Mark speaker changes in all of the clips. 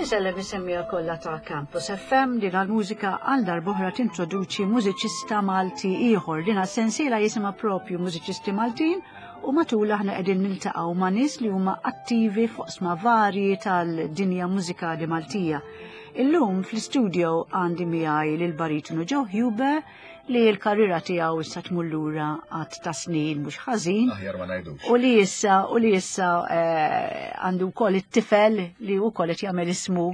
Speaker 1: Insellem is-semmiegħa kollha ta' Campus FM din għal-mużika għal darb'oħra tintroduċi mużiċista Malti ieħor. Din sensiela jisimha propju Mużiċisti Maltin u matul aħna qegħdin niltaqgħu ma' nies li huma attivi fuq sma varji tal-dinja mużikali Maltija. Illum fl-istudio għandi miegħi lil baritonu Joe Huber li l-karriera tiegħu issa tmur lura għad ta' snin mhux ħażin.
Speaker 2: Aħjar ma ngħidux.
Speaker 1: U li issa u li issa eh, għandu wkoll it-tifel li wkoll qed jagħmel ismu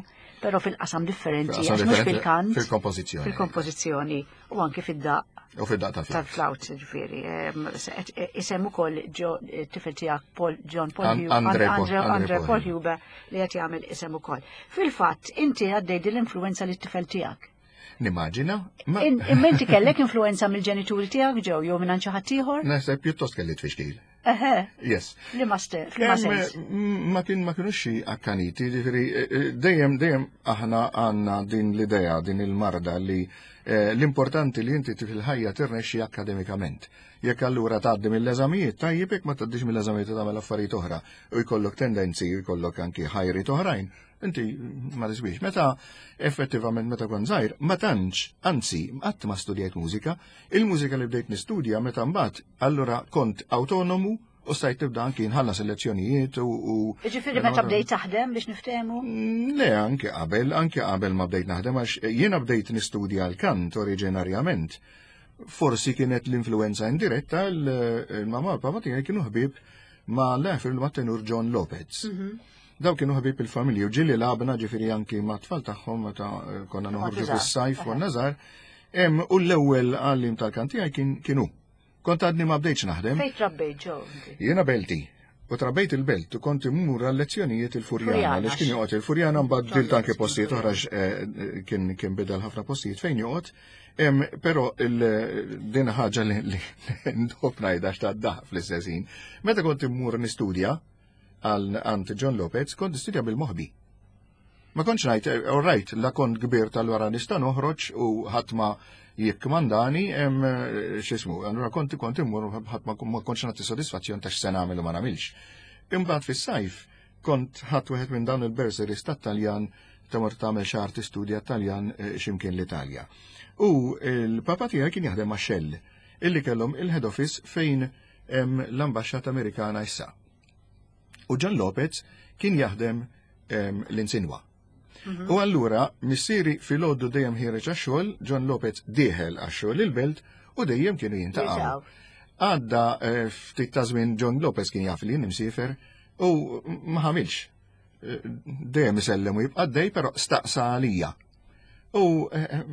Speaker 1: però fil-qasam differenti, għax mhux fil-kant.
Speaker 2: Fil-kompożizzjoni.
Speaker 1: Fil-kompożizzjoni u anke fid-daq.
Speaker 2: U fid-daq
Speaker 1: tal-flaut, ġifieri. Eh, isem ukoll tifel tiegħek Paul John Paul Andre Paul Huber li qed jagħmel isem ukoll. Fil-fatt, inti għaddej din l-influenza li t-tifel tiegħek.
Speaker 2: Nimmaġina.
Speaker 1: Imma inti kellek influenza mill-ġenituri tiegħek ġew jew minn xi ħadd ieħor?
Speaker 2: Naħseb pjuttost kelli tfixkil.
Speaker 1: Eħe.
Speaker 2: Yes.
Speaker 1: Li ma sens.
Speaker 2: Ma kien ma kienux xi akkaniti, ġifieri eh, eh, dejjem dejjem aħna għandna din l-idea, din il-marda li eh, l-importanti li inti fil-ħajja tirnexxi akademikament. Jekk allura tgħaddi mill-eżamijiet, tajjeb jekk ma tgħaddix mill-eżamijiet tagħmel affarijiet oħra u jkollok tendenzi u jkollok anki ħajriet oħrajn, Inti ma tiswix. Meta effettivament meta kont żgħir, ma tantx, anzi, qatt ma studjajt mużika, il-mużika li bdejt nistudja meta mbagħad allura kont autonomu u stajt tibda anki nħallas il-lezzjonijiet u.
Speaker 1: Ġifieri meta bdejt taħdem biex niftehmu?
Speaker 2: Mm, le, anki qabel, anki qabel ma bdejt naħdem għax jiena bdejt nistudja l-kant oriġinarjament. Forsi kienet l-influenza indiretta l-mama u l-papa tiegħi kienu ħbieb ma' l-efer ma' tenur John Lopez. Mhm. Daw kienu ħbieb il-familji u ġieli lagħabna ġifieri anki ma' tfal tagħhom meta eh, konna noħorġu fis-sajf konna żgħar. U l-ewwel għallim tal-kant tiegħi kien kienu. Kont għadni ma bdejtx naħdem.
Speaker 1: Fejn trabbejt ġew?
Speaker 2: Jiena Belti. U trabbejt il-belt u kont immur għal lezzjonijiet il-Furjana, għaliex kien joqgħod il-Furjana mbagħad bdilt anke postijiet oħra eh, kien kien bidel ħafna postijiet fejn joqgħod. Però din ħaġa li ndob ngħidha x'ta' fl-istess ħin. Meta kont immur nistudja, għal għand John Lopez, kont nistudja bil-moħbi. Ma kontx ngħid, eh, all right, la kont kbir tal-wara nista' noħroġ u ħadd ma jikkmandani hemm eh, x'ismu. Allura kont kont immur ħadd ma kontx nagħti sodisfazzjon ta' x'se nagħmel u ma nagħmilx. Imbagħad fis-sajf kont ħadd wieħed minn dawn il-bursaries tat-Taljan ta' mort tagħmel xahar tistudja Taljan eh, x'imkien l-Italja. U l-papa tiegħi kien jaħdem ma' Shell illi kellhom il-head office fejn l-ambaxxata Amerikana issa. U John Lopez kien jaħdem l-insinwa. Mhm. U allura missieri filgħodu dejjem ħiereġ għax-xogħol, John Lopez dieħel għax-xogħol il-belt u dejjem kienu jintaqgħu. Għadda eh, ftit ta' żmien John Lopez kien jaf li nimsifer u ma ħamilx. Eh, dejjem isellem u jibqa' dej, però staqsa għalija. U eh, eh,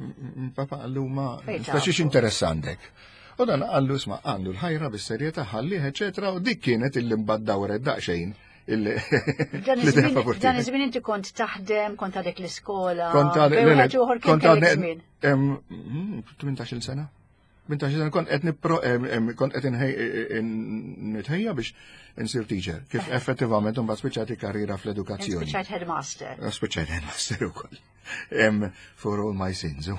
Speaker 2: papa għallu ma speċi interess għandek. U dan għallu isma' għandu l-ħajra bis-serjetà ħallih, eċetera, u dik kienet illi mbagħad dawret daqsxejn
Speaker 1: Dan iż-żmien inti kont taħdem, kont għadek l-iskola.
Speaker 2: Kont għadek, kont għadek 18 mm, sena. 18 sena kont qed nipro kont qed nitħejja biex insir teacher. Kif eh. effettivament imbagħad spiċċat karriera fl-edukazzjoni.
Speaker 1: Spiċċajt headmaster.
Speaker 2: Eh, spiċċajt headmaster ukoll. For all my sins.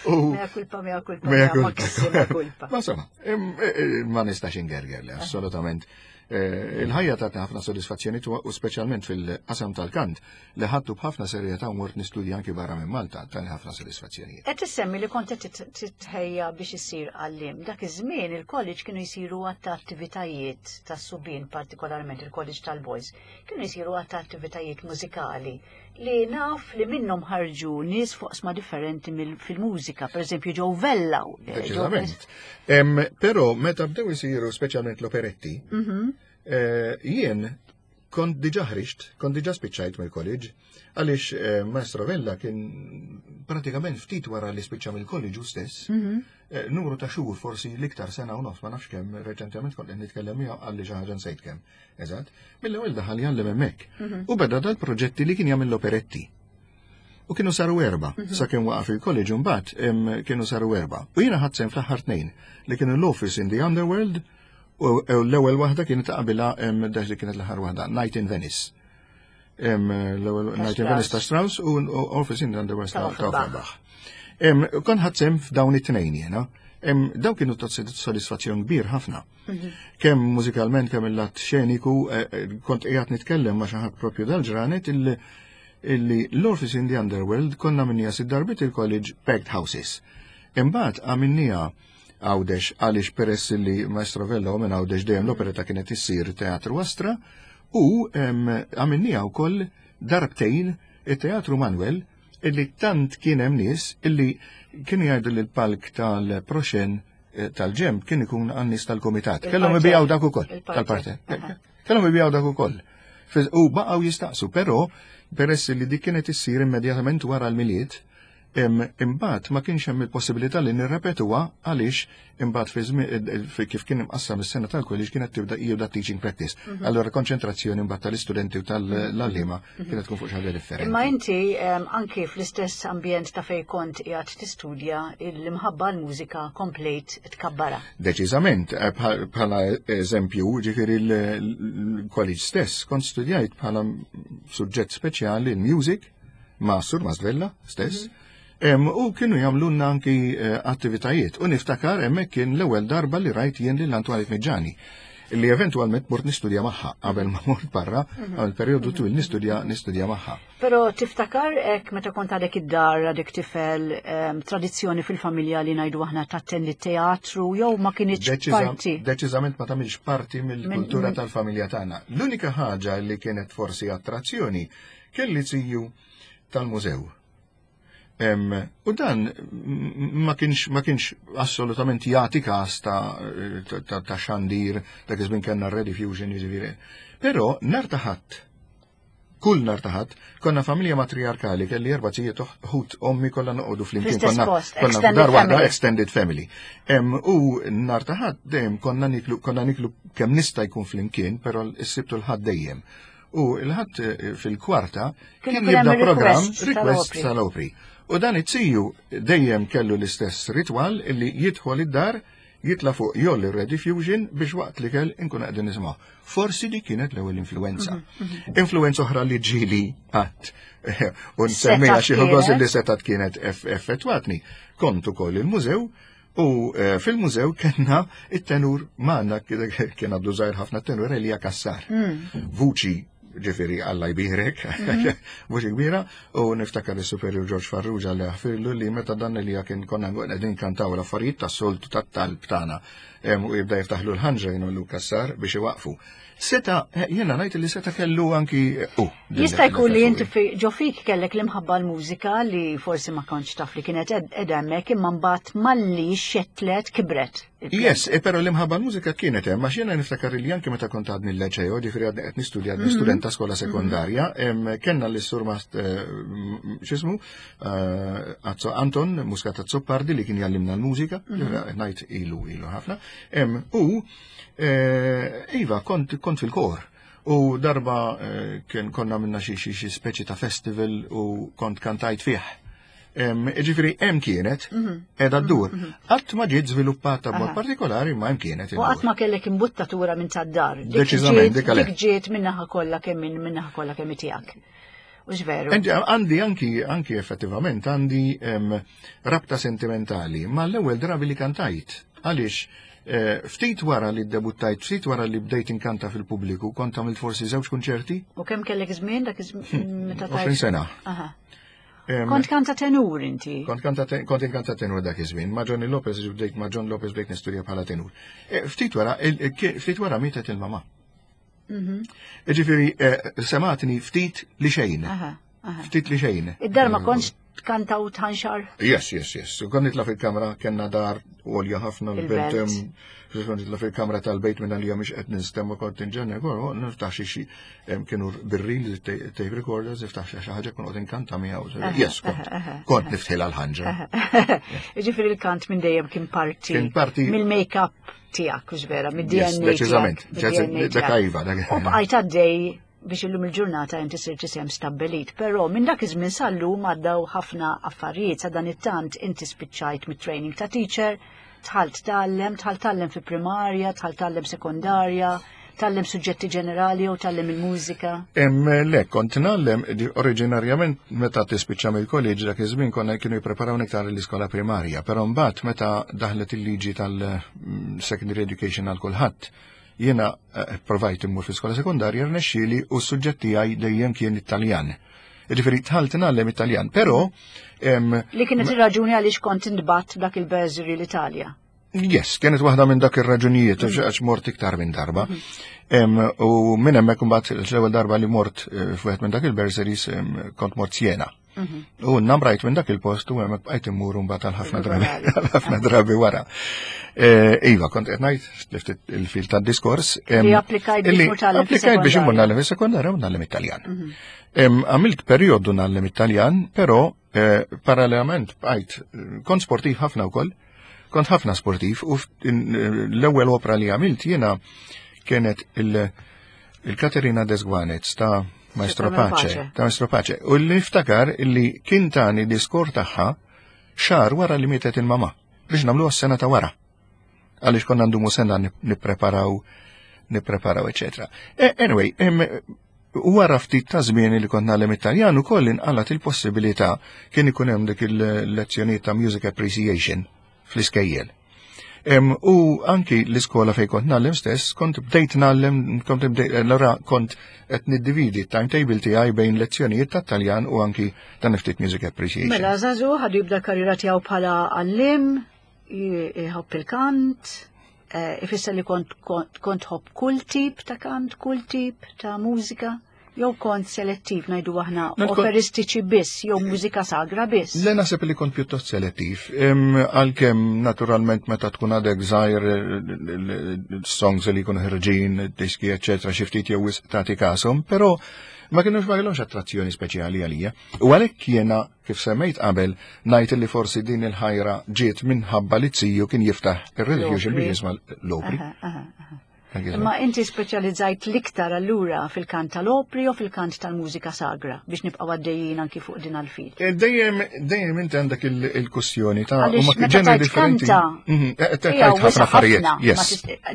Speaker 1: U mea kulpa, mea kulpa, mea
Speaker 2: kulpa. Ma insomma, eh, ma nistax ingerger li assolutament. Il-ħajja tatni ħafna sodisfazzjoni u speċjalment fil-qasam tal-kant li ħadtu b'ħafna serjetà u mort nistudja anki barra minn Malta, tani ħafna sodisfazzjonijiet.
Speaker 1: Qed issemmi li kont qed titħejja biex issir għalliem. Dak iż-żmien il-college kienu jsiru għadd ta' attivitajiet tas-subien, partikolarment il-college tal-boys, kienu jsiru għadd ta' attivitajiet mużikali li naf li minnhom ħarġu nies fuq differenti fil-mużika, pereżempju Joe Vella.
Speaker 2: Eh, Deċiżament. Però meta bdew isiru speċjalment l-operetti, mhm. eh, jien Kont diġà ħriġt, kont diġà spiċċajt mill-college, għaliex eh, Maestro Vella kien pratikament ftit wara li spiċċa mill-college hu stess, mhm. eh, numru ta' xhur forsi l-iktar sena u nofs, ma nafx kemm, reċentement kont qed nitkellem miegħu qalli xi ħaġa nsejt kemm. Eżatt, mill-ewwel daħal jgħallem hemmhekk. Mhm. U beda dal-proġetti li kien jagħmel l-operetti. U kienu saru erba, mhm. sakemm waqaf il-college mbagħad kienu saru erba. U jiena ħadd sehem fl-aħħar tnejn li kienu l-Office in the Underworld U l-ewwel waħda kienet ta' qabilha dak li kienet l-aħħar waħda, Night in Venice. L-ewwel Night in Venice ta' Strauss u Orpheus in the Underworld ta' Offenbach. Kon ħadd sehem f'dawn it-tnejn jiena. Daw kienu ta' sodisfazzjon kbir ħafna. Kemm mużikalment, kemm il-lat xeniku, kont qiegħed nitkellem ma' xi ħadd propju dal-ġranet illi l-Orpheus in the Underworld konna minnija sitt darbiet il-college packed houses. Imbagħad għamilniha Għawdex għaliex peress li Maestro Vella u minn Għawdex dejjem l-operetta kienet issir Teatru Astra u għamilniha wkoll darbtejn it-Teatru Manuel illi tant kien hemm nies illi kienu jgħidu li l-palk tal-proxen tal-ġemb kien ikun għan-nies tal-komitat. Kellhom ibijaw dak ukoll tal-parte. Kellhom ibijaw dak ukoll. U baqgħu jistaqsu, però peress li dik kienet issir immedjatament wara l-Milied, imbagħad ma kienx hemm il-possibilità li nirrepetuha għaliex imbagħad fi żmien kif kien imqassam is-sena tal-college kienet tibda jibda teaching practice. Allura konċentrazzjoni imbagħad tal-istudenti u tal-għalliema kienet tkun fuq xi ħaġa differenti.
Speaker 1: Imma inti anki fl-istess ambjent ta' fejn kont qiegħed tistudja, l-imħabba l-mużika komplejt tkabbara.
Speaker 2: Deċiżament, bħala eżempju, ġifieri l-college stess kont studjajt bħala suġġett speċjali l-music ma' Sur Masvella stess. U kienu jagħmlulna anki attivitajiet. U niftakar hemmhekk kien l-ewwel darba li rajt jien lil Antoinette Miġġani li eventwalment mort nistudja magħha qabel ma mort barra għal perjodu twil nistudja magħha.
Speaker 1: Però tiftakar hekk meta kont għadek id-dar għadek tifel, tradizzjoni fil-familja li ngħidu aħna tattendi teatru jew ma kinitx parti?
Speaker 2: Deċiżament ma tagħmilx parti mill-kultura tal-familja tagħna. L-unika ħaġa li kienet forsi attrazzjoni kien li ziju tal-mużew. U dan ma kienx assolutament jagħti każ ta' xandir dak iż-żmien kellna Rediffusion jiġifieri. Però nhar ta' Ħadd, kull nhar ta' Ħadd, konna familja matriarkali, kelli erba' zijiet ħut ommi kollha noqogħdu flimkien,
Speaker 1: Fl-istess post,
Speaker 2: konna
Speaker 1: extended
Speaker 2: f'dar waħda,
Speaker 1: family.
Speaker 2: Extended family. U nhar ta' Ħadd dejjem konna niklu kemm nista' jkun flimkien, però s-Sibt u l-Ħadd dejjem. U l-Ħadd fil-kwarta
Speaker 1: Kien
Speaker 2: kien
Speaker 1: ikun hemm
Speaker 2: jibda programm
Speaker 1: requests
Speaker 2: request
Speaker 1: tal-opri.
Speaker 2: tal-opri. U dan it-tiju dejjem kellu l-istess ritwal illi jidħol id-dar, jitla fuq jolli Rediffusion biex waqt li kell inkun qegħdin nisimgħu. Forsi di kienet l-ewwel influenza. Influenza oħra li ġieli qatt u nsemmiha xi ħogoż li setat kienet effettwatni. Kont ukoll il-mużew u fil-mużew kellna it-tenur magħna kien għadu żgħir ħafna tenur Elija Kassar. Vuċi ġifieri Alla jbierek, vuċi kbira, u niftakar is-Superior George Farrugia li ħafirlu li meta dan Elija kien konna qegħdin kantaw l-affarijiet tas-soltu tat-talb tagħna, u jibda jiftaħlu l-ħanġra jgħinu Kassar biex iwaqfu. Seta, jiena ngħid li seta kellu anki, din
Speaker 1: Jista' jkun li
Speaker 2: l-effett
Speaker 1: inti ġo fik kellek l-imħabba l-mużika li forsi ma kontx taf li kienet edha hemmhekk, imma mbagħad malli xetlet kibret.
Speaker 2: Yes, però l-imħabba l-mużika kienet hemm, għax jiena niftakar li anke meta kont għadni l-liceo, ġifieri għadni qed nistudja, għadni student ta' skola sekondarja, kellna l-sur x'ismu, Azzo Anton Muscat Azzopardi li kien jallimna l-mużika, ġifieri qed ngħid ilu ħafna, u iva, kont fil-kor. U darba kien konna minna xi speċi ta' festival u kont kantajt fih. Ġifieri hemm kienet qiegħda ddur. Qatt ma ġiet żviluppata b'mod partikolari, ma hemm kienet
Speaker 1: U qatt
Speaker 2: iddur.
Speaker 1: ma kellek imbuttatura minn tad-dar. Dik
Speaker 2: Deċiżament, dik għalhekk.
Speaker 1: ġiet minnaħa kollha kemm minnaħa kollha kemm tiegħek. U veru.
Speaker 2: Għandi anki effettivament għandi rabta sentimentali ma l-ewwel drabi li kantajt. Għaliex ftit wara li ddebuttajt, ftit wara li bdejt inkanta fil-pubbliku, kont għamilt forsi żewġ kunċerti.
Speaker 1: U kemm kellek żmien dak iż-żmien meta tajt?
Speaker 2: 20 sena.
Speaker 1: Kont kanta tenur inti?
Speaker 2: Kont inkanta tenur dak iż-żmien. Ma' Johnny Lopez bdejt, ma' John Lopez bdejt nistudja bħala tenur. Ftit wara mietet il-mama. Ġifieri sematni ftit li xejn. Ftit li xejn.
Speaker 1: Id-dar ma kontx tkanta u tħanxar?
Speaker 2: Yes, yes, yes. Kont nitla' fil-kamra, kellna dar għolja ħafna
Speaker 1: Il-belt.
Speaker 2: l-belt, kont nitla' fil-kamra tal-bejt minna li mhix qed nistemma kont inġenna, kont niftaħ xi, kienu birril tape recorders, niftaħ xi ħaġa kont qed inkanta miegħu. Yes, kont niftħilha l-ħanġra.
Speaker 1: Ġifieri il-kant minn dejjem kien parti
Speaker 2: Kien parti
Speaker 1: mill-make-up tiegħek, hux vera, mid-D N A
Speaker 2: Yes,
Speaker 1: tiegħek,
Speaker 2: deċiżament.
Speaker 1: mid-D N A
Speaker 2: Dak
Speaker 1: tiegħek.
Speaker 2: iva, dak
Speaker 1: U bqajt għaddej biex illum il-ġurnata inti sirt isem stabbilit, però minn dak iż-żmien sal-lum għaddew ħafna affarijiet, sa dan it-tant inti spiċċajt mit-training ta' teacher, tħalt tgħallem, tħalt tgħallem fi primarja, tħalt tgħallem sekondarja. Tgħallem suġġetti ġenerali jew tgħallem il-mużika?
Speaker 2: Le, kont ngħallem oriġinarjament meta tispiċċa mill-college dak iż-żmien konna kienu jippreparaw iktar l-iskola primarja, però mbagħad meta daħlet il-liġi tal-secondary education għal kulħadd, jiena eh, provajt immur fl-iskola sekondarja rnexxieli u s-suġġett tiegħi dejjem kien Italjan. Ġifieri tħalt ngħallem Italjan, però
Speaker 1: Li kienet ir-raġuni għaliex kont intbatt dak il-bursary l-Italja.
Speaker 2: Yes, kienet waħda minn dak ir-raġunijiet mm. għax mort iktar minn darba. Mm. U minn hemmhekk imbagħad l-ewwel darba li mort eh, f'wieħed minn dak il-bursaries kont mort Siena. Mm-hmm. U namrajt minn dak il-post u hemmhekk bqajt immur mbagħad għal ħafna drabi għal ħafna drabi wara. Eh, iva, kont qed ngħid il-fil tad-diskors.
Speaker 1: Li applikajt
Speaker 2: biex immur nagħlem is-sekondarja u nagħlem Italjan. Mm-hmm. Għamilt perjodu nagħlem Italjan, però eh, parallelament bqajt kont sportiv ħafna wkoll. Kont ħafna sportiv u l-ewwel opra li għamilt jiena kienet il-Katerina Desguanez ta' Maestro Pace, ta' Maestro Pace. U li niftakar li kien tani diskor tagħha xahar wara li mietet il-mama biex nagħmluha s-sena ta' wara. Għaliex konna ndumu sena nippreparaw, nippreparaw, eċetera. E, anyway, wara ftit ta' żmien li kont nagħlem Italjan ukoll inqalat il-possibilità kien ikun hemm dik il-lezzjonijiet ta' music appreciation fl-iskejjel. U anki l-iskola fejn kont nagħlem stess, kont bdejt nagħlem, kont bdejt, allura kont qed niddividi t-timetable tiegħi bejn lezzjonijiet ta' Taljan u anki ta' ftit music appreciation.
Speaker 1: Mela żagħżugħ ħadu jibda karriera tiegħu bħala għallim, jħobb il-kant, eh, ifisser li kont kont ħobb kull tip ta' kant, kull tip ta' mużika jew kont selettiv ngħidu aħna operistiċi biss jew mużika sagra biss.
Speaker 2: Le naħseb li kont pjuttost selettiv. Għalkemm naturalment meta tkun għadek żgħir songs li jkunu ħirġin, diski eċetera, xi ftit jew wisq tagħti kashom, però ma kienux ma kellhomx attrazzjoni speċjali għalija. U għalhekk jiena kif semmejt qabel ngħid li forsi din il-ħajra ġiet minħabba li ziju kien jiftaħ ir-Rediffusion biex jisma' l-opri.
Speaker 1: Imma inti speċjalizzajt l-iktar allura fil-kant tal-opri u fil-kant tal-mużika sagra biex nibqgħu għaddejjin anki fuq din għal-fil.
Speaker 2: Eh, dejjem dejjem inti għandek il-kustjoni ta' huma ġeneri differenti. Mhm, eh, eh, tajt ħafna affarijiet.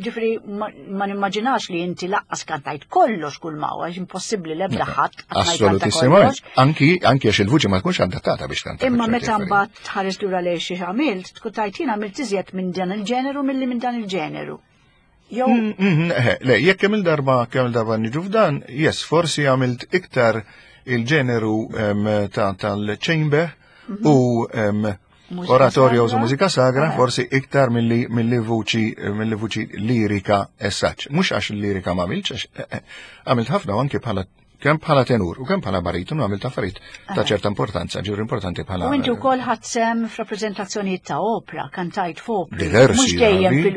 Speaker 1: Ġifieri ma nimmaġinax li inti laqqas kantajt kollox kull ma huwa impossibbli l-ebda ħadd.
Speaker 2: Assolutissimament. Anki anki għax il-vuċi ma tkunx adattata biex kanta.
Speaker 1: Imma meta mbagħad tħares lura lejn xi għamilt, tkun tajt jien għamilt iżjed minn dan il-ġeneru milli minn dan il-ġeneru.
Speaker 2: Jew mm, mm, eh, Le, jekk kemm il-darba kemm il-darba niġu f'dan, yes, forsi għamilt iktar il-ġeneru tal-chamber mhm. u oratorio u mużika sagra, eh. forsi iktar mill-li vuċi mill vuċi lirika essaċ. Mhux għax il-lirika ma għamiltx, għax eh, għamilt ħafna anki bħala kemm bħala tenur u kemm bħala baritonu għamilt affarijiet ta' ċerta importanza, ġifieri importanti bħala.
Speaker 1: U inti wkoll ħadd sem f'rappreżentazzjonijiet ta' opra, kantajt f'opri.
Speaker 2: Diversi.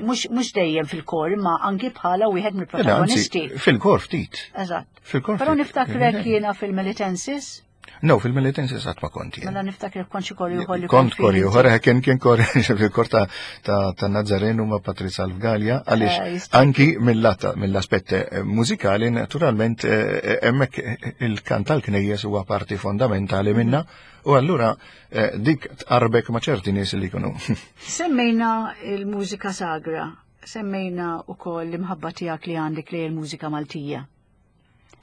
Speaker 1: Mhux dejjem fil-kor, imma anki bħala wieħed mill-protagonisti.
Speaker 2: Fil-kor ftit.
Speaker 1: Eżatt. Fil-kor. Però niftakrek jiena fil-Melitensis.
Speaker 2: No, fil-Melitensis qatt ma kont
Speaker 1: jien. Mela niftakar kont xi kor ieħor li
Speaker 2: kont kor ieħor, eh, kien kien kor fil-kor ta' ta' Nazarenu ma' Patrizia Alfgalja, għaliex eh, anki mill-aspett eh, mużikali naturalment hemmhekk il-kant tal-knejjes huwa parti fondamentali minna u allura dik tqarbek ma' ċerti nies li jkunu.
Speaker 1: Semmejna il-mużika sagra, semmejna wkoll l-imħabba tiegħek li għandek lejn il-mużika Maltija.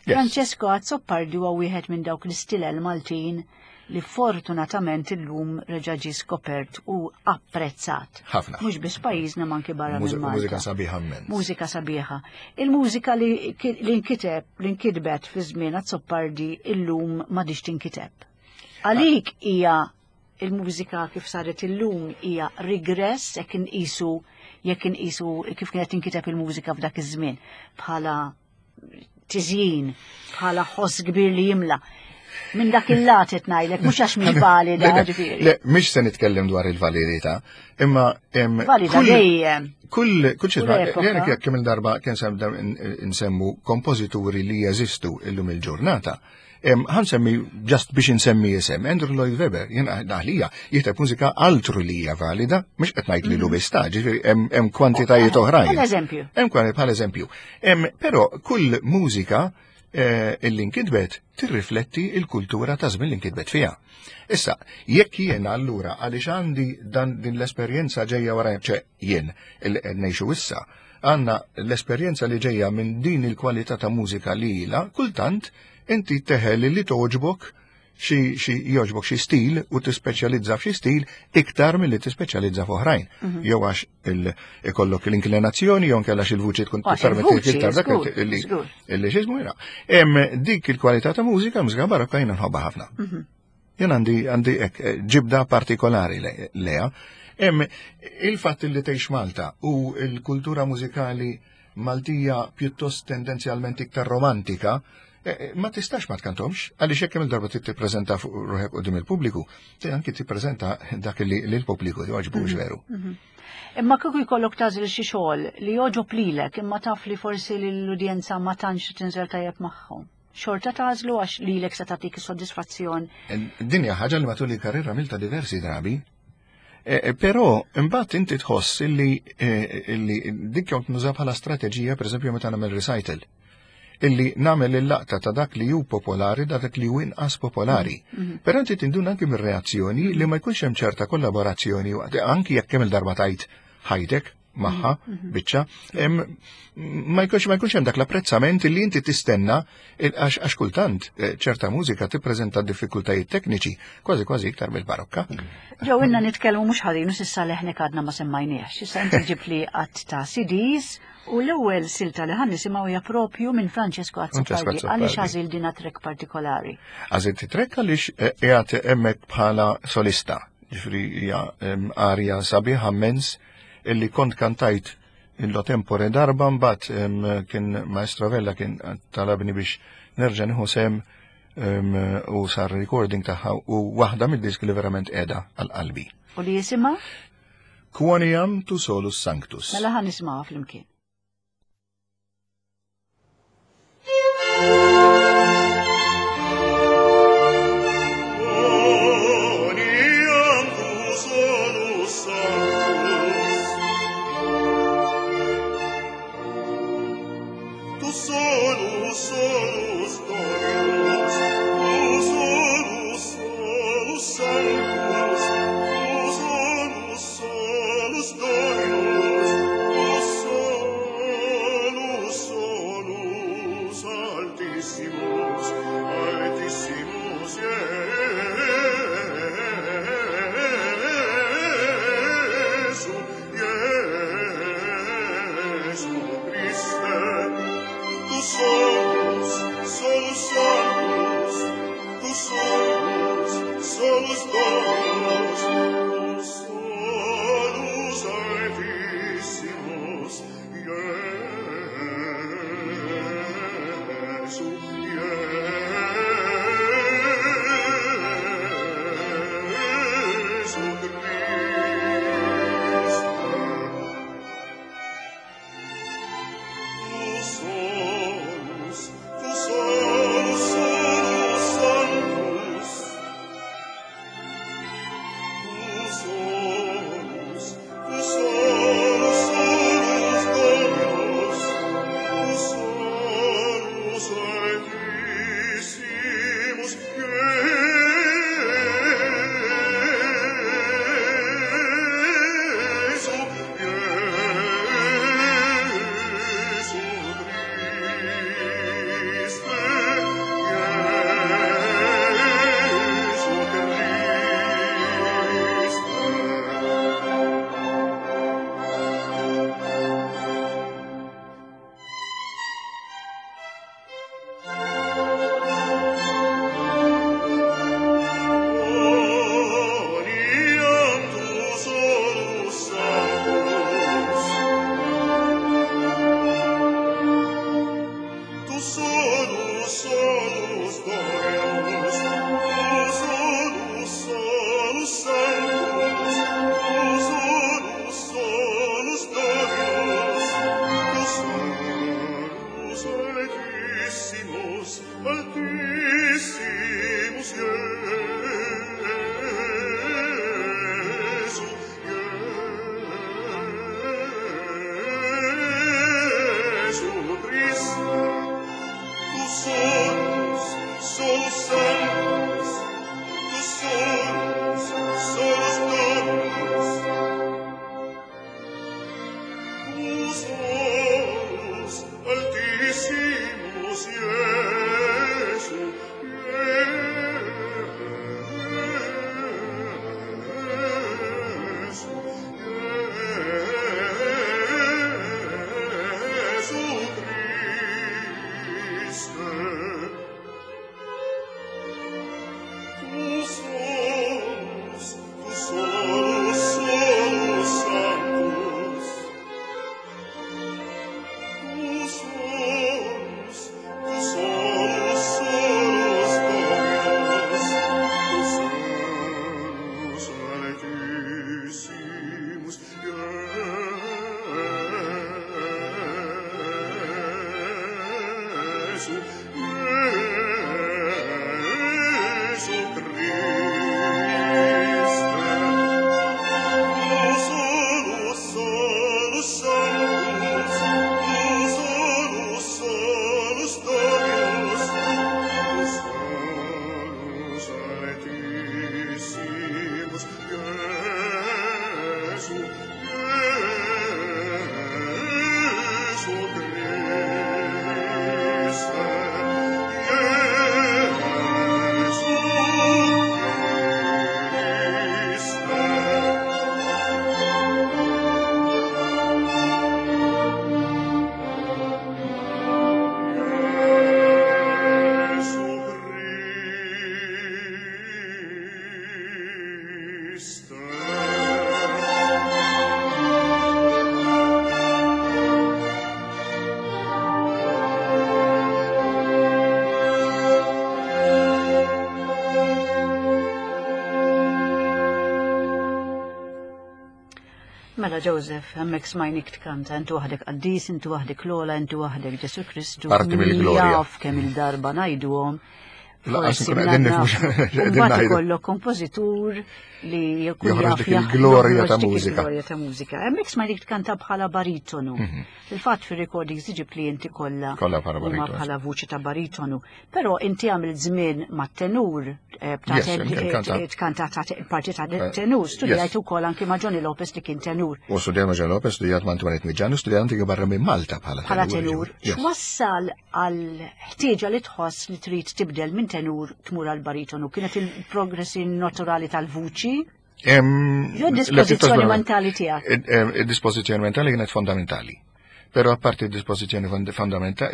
Speaker 1: Francesco Azzopardi huwa wieħed minn dawk l-istilel Maltin li fortunatament illum reġa' ġie skopert u apprezzat.
Speaker 2: Ħafna.
Speaker 1: Mhux biss pajjiżna ma anki barra minn
Speaker 2: Malta. Mużika sabiħa mmens.
Speaker 1: Mużika sabiħa. Il-mużika li nkiteb, li nkitbet fi żmien Azzopardi illum m'għadhiex tinkiteb. Għalik hija il-mużika kif saret illum hija rigress jekk inqisu jekk inqisu kif kienet tinkiteb il-mużika f'dak iż-żmien bħala tiżjin bħala ħoss kbir li jimla. Minn dak il-lat qed ngħidlek, mhux għax mhix valida ġifieri.
Speaker 2: Le, mhix se nitkellem dwar il-validità, imma
Speaker 1: valida dejjem.
Speaker 2: Kull kull xi jien jekk kemm il-darba kien nsemmu kompożituri li jeżistu illum il-ġurnata. Ħan semmi, just biex insemmi isem, Andrew Lloyd Webber, jien għalija, jikteb mużika altru li hija valida, mhux qed ngħid li lu biss ta' ġifieri hemm kwantitajiet oh, oħrajn.
Speaker 1: Bħal eżempju.
Speaker 2: Hemm kwantitajiet bħal eżempju. Però kull mużika eh, illi nkitbet tirrifletti il-kultura ta' żmien li nkitbet fiha. Issa, jekk jien allura għaliex għandi dan din l-esperjenza ġejja wara ċe jien il ngħixu issa, Għandna l-esperjenza li ġejja minn din il-kwalità ta' mużika li ilha, kultant inti teħel li togħġbok xi jogħġbok xi stil u tispeċjalizza f'xi stil iktar milli tispeċjalizza f'oħrajn. Jew għax ikollok l-inklinazzjoni jew inkella xi l-vuċi tkun
Speaker 1: tippermetti iktar dak
Speaker 2: illi illi x'ismu jiena. Hemm dik il-kwalità ta' mużika, mużika barokka jiena nħobbha ħafna. Jien għandi għandi hekk ġibda partikolari leha. Hemm il-fatt li tgħix Malta u l-kultura mużikali Maltija pjuttost tendenzjalment iktar romantika, ma tistax ma tkantomx, għaliex jekk kemm darba trid tippreżenta fuq ruħek quddiem il-pubbliku, anki tippreżenta dak li l-pubbliku jogħġbu veru.
Speaker 1: Imma kieku jkollok tagħżel xi xogħol li jogħġob lilek imma taf li forsi l-udjenza ma tantx tinżel tajjeb magħhom. Xorta tagħżlu għax lilek se tagħtik is-soddisfazzjon.
Speaker 2: Din hija ħaġa li matul il-karriera għamiltha diversi drabi. Però imbagħad inti tħoss illi dik jom nuża bħala strateġija, pereżempju meta nagħmel recital, illi nagħmel il-laqta ta' dak li hu popolari, dak li hu inqas popolari. Però inti tinduna anki mir-reazzjoni li ma jkunx hemm ċerta kollaborazzjoni, anki jekk kemm il-darba tajt ħajtek magħha biċċa, ma jkunx hemm dak l-apprezzament li inti tistenna għax kultant ċerta mużika tippreżenta diffikultajiet tekniċi kważi kważi iktar mill-barokka.
Speaker 1: Ġew inna nitkellmu mhux ħażin u s'issa leħnek għadna ma semmajniex. Issa inti ġib li qatt ta' CDs u l-ewwel silta li ħan nisimgħu hija propju minn Francesco Azzopardi. Għaliex għażil din track partikolari?
Speaker 2: Għażilt track għaliex qiegħed hemmhekk bħala solista. Ġifieri hija arja sabiħa immens illi kont kantajt illo tempore darba mbagħad kien Maestro Vella kien talabni biex nerġa' nieħu sem u sar recording tagħha u waħda mid-disk li verament qiegħda għal qalbi.
Speaker 1: U li jisimha?
Speaker 2: Quoniam tu solus sanctus.
Speaker 1: Mela ħa nisimgħuha flimkien.
Speaker 3: Altissimo. Benedicimus Jesu, Jesu Christe, Jesu Christe. Jesu Christe.
Speaker 1: Mela Joseph, hemmhekk smajnik tkanta, inti waħdek qaddis, inti waħdek l-ola, inti waħdek Ġesu Kristu.
Speaker 2: Parti mill-glorja.
Speaker 1: Jaf kemm il-darba ngħiduhom.
Speaker 2: Laqas
Speaker 1: Forsi
Speaker 2: nkun qegħdin
Speaker 1: mela
Speaker 2: nifhmu x'qegħdin
Speaker 1: Mbagħad
Speaker 2: ngħidu.
Speaker 1: ikollok kompożitur li jkun
Speaker 2: Joħroġ
Speaker 1: jaf
Speaker 2: dik
Speaker 1: jaħ-
Speaker 2: il-glorja
Speaker 1: joħroġ
Speaker 2: ta'
Speaker 1: dik
Speaker 2: mużika.
Speaker 1: Il-glorja ta' mużika. Hemmhekk smajnik tkanta bħala baritonu. Fil-fatt fir-recordings iġib klijenti kollha
Speaker 2: Mhm. Kollha bħala
Speaker 1: huma
Speaker 2: baritonu.
Speaker 1: bħala vuċi ta' baritonu. Però inti għamilt żmien mat-tenur eh, ta'
Speaker 2: Yes, inkanta.
Speaker 1: tkanta ta' parti ta' tenur, studjajt
Speaker 2: yes.
Speaker 1: ukoll anki ma' Johnny Lopez li kien tenur.
Speaker 2: U studjat ma' John Lopez, studjat ma' Antoinette Miġani, studjat anki barra minn Malta bħala
Speaker 1: bħala tenur,
Speaker 2: Yes.
Speaker 1: x'wassal għal ħtieġa li tħoss li trid tibdel minn tenur tmur għal baritonu? Kienet il-progressi naturali tal-vuċi?
Speaker 2: Em,
Speaker 1: Jo
Speaker 2: le,
Speaker 1: dispożizzjoni
Speaker 2: pjuttost-
Speaker 1: mentali tiegħek.
Speaker 2: Id-dispożizzjoni mentali kienet fondamentali. Però apparti id-dispożizzjoni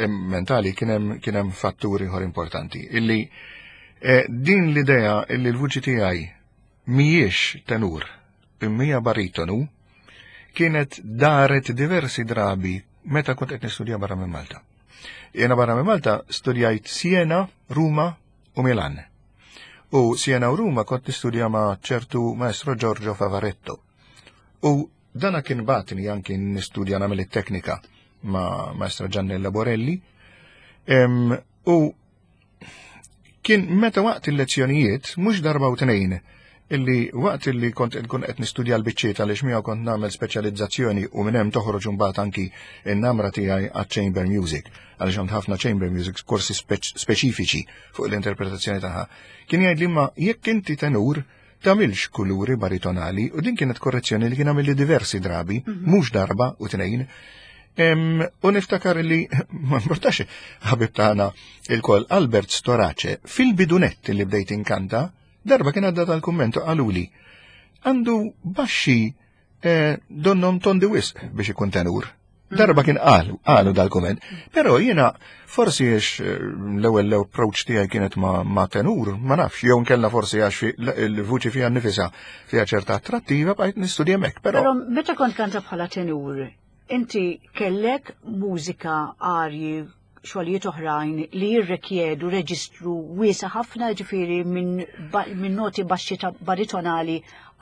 Speaker 2: mentali kien hemm kien hemm fatturi ieħor importanti illi eh, din l-idea illi l-vuċi tiegħi mhijiex tenur imma hija baritonu kienet daret diversi drabi meta kont qed nistudja barra minn Malta. Jiena barra minn Malta studjajt Siena, Ruma u Milan. U Siena u Ruma kont nistudja ma' ċertu maestro Giorgio Favaretto. U dana kien batni anki nistudja nagħmel it-teknika ma' maestro Giannella Borelli. Em, u kien meta waqt il-lezzjonijiet, mhux darba u tnejn, illi waqt illi kont nkun qed nistudja l-biċċiet għaliex miegħu kont nagħmel speċjalizzazzjoni u minn hemm toħroġ imbagħad anki n-namra tiegħi għaċ-chamber music għaliex għand ħafna chamber music korsi speċifiċi fuq l-interpretazzjoni tagħha. Kien jgħid li ma jekk inti tenur tagħmilx kuluri baritonali u din kienet korrezzjoni li kien għamilli diversi drabi, mhux darba u tnejn. Em, u niftakar li, ma importax, ħabib tagħna il-kol Albert Storace, fil-bidunett li bdejt inkanta, darba kien għadda tal-kummentu qaluli, għandu baxxi eh, donnom tondi wisq biex ikun tenur. Darba kien qalu, qalu dal-kumment, però jiena forsi għax eh, l-ewwel l-approach tiegħi kienet ma, ma tenur, ma nafx, jew nkella forsi għax fi- l-vuċi fiha nnifisha fiha ċerta attrattiva bqajt nistudja hemmhekk, però
Speaker 1: Però meta kont kanta bħala tenur, inti kellek mużika arji xogħlijiet oħrajn li jirrikjedu reġistru wiesa ħafna ġifieri minn ba- minn noti baxxi ta' baritonali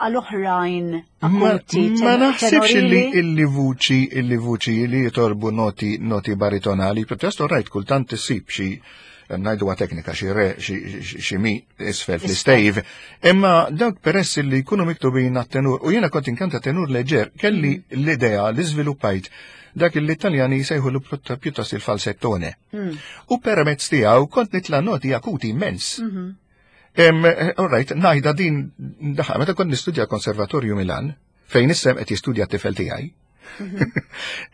Speaker 1: għal oħrajn
Speaker 2: Ma,
Speaker 1: akuti
Speaker 2: ma naħsibx illi
Speaker 1: tenorili.
Speaker 2: illi vuċi illi vuċi li jitolbu noti noti baritonali, pjuttost rajt kultant issib xi ngħiduha teknika xi re xi- xi xi mi isfel fl-istejv, imma dawk peress li jkunu miktubin għat-tenur u jiena kont inkanta tenur leġer, kelli l-idea li żviluppajt dak li l-Italjani jsejħu l pjuttost il-falsettone. U permezz tiegħu kont nitla' noti akuti immens. Em, all right, najda din daħqa, meta kont nistudja konservatorju Milan, fejn issem qed jistudja t-tifel tiegħi.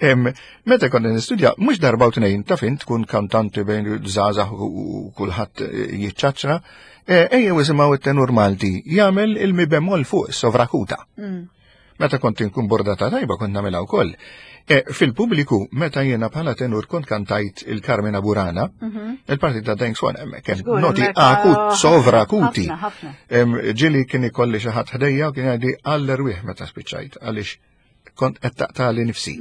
Speaker 2: Em, meta kont nistudja, mhux darba u tnejn taf int tkun kantanti bejn żgħażagħ u u kulħadd eh, jiċċaċċra, eh, ejjew isimgħu it-tenur Malti jagħmel il-mi bemol fuq sovrakuta. Meta kont inkun bordata tajba kont nagħmilha wkoll. E, Fil-pubbliku, meta jiena bħala tenur kont kantajt il-Carmina Burana, il-parti ta' Deng Swan hemmhekk hemm
Speaker 1: Żgur,
Speaker 2: noti
Speaker 1: hemmhekk,
Speaker 2: akut,
Speaker 1: ah,
Speaker 2: sovrakuti.
Speaker 1: ħafna, ħafna.
Speaker 2: Em, Ġili kien ikolli xi ħadd ħdejja u kien jgħidli għall-erwieħ meta spiċċajt għaliex kont qed taqtali nifsi.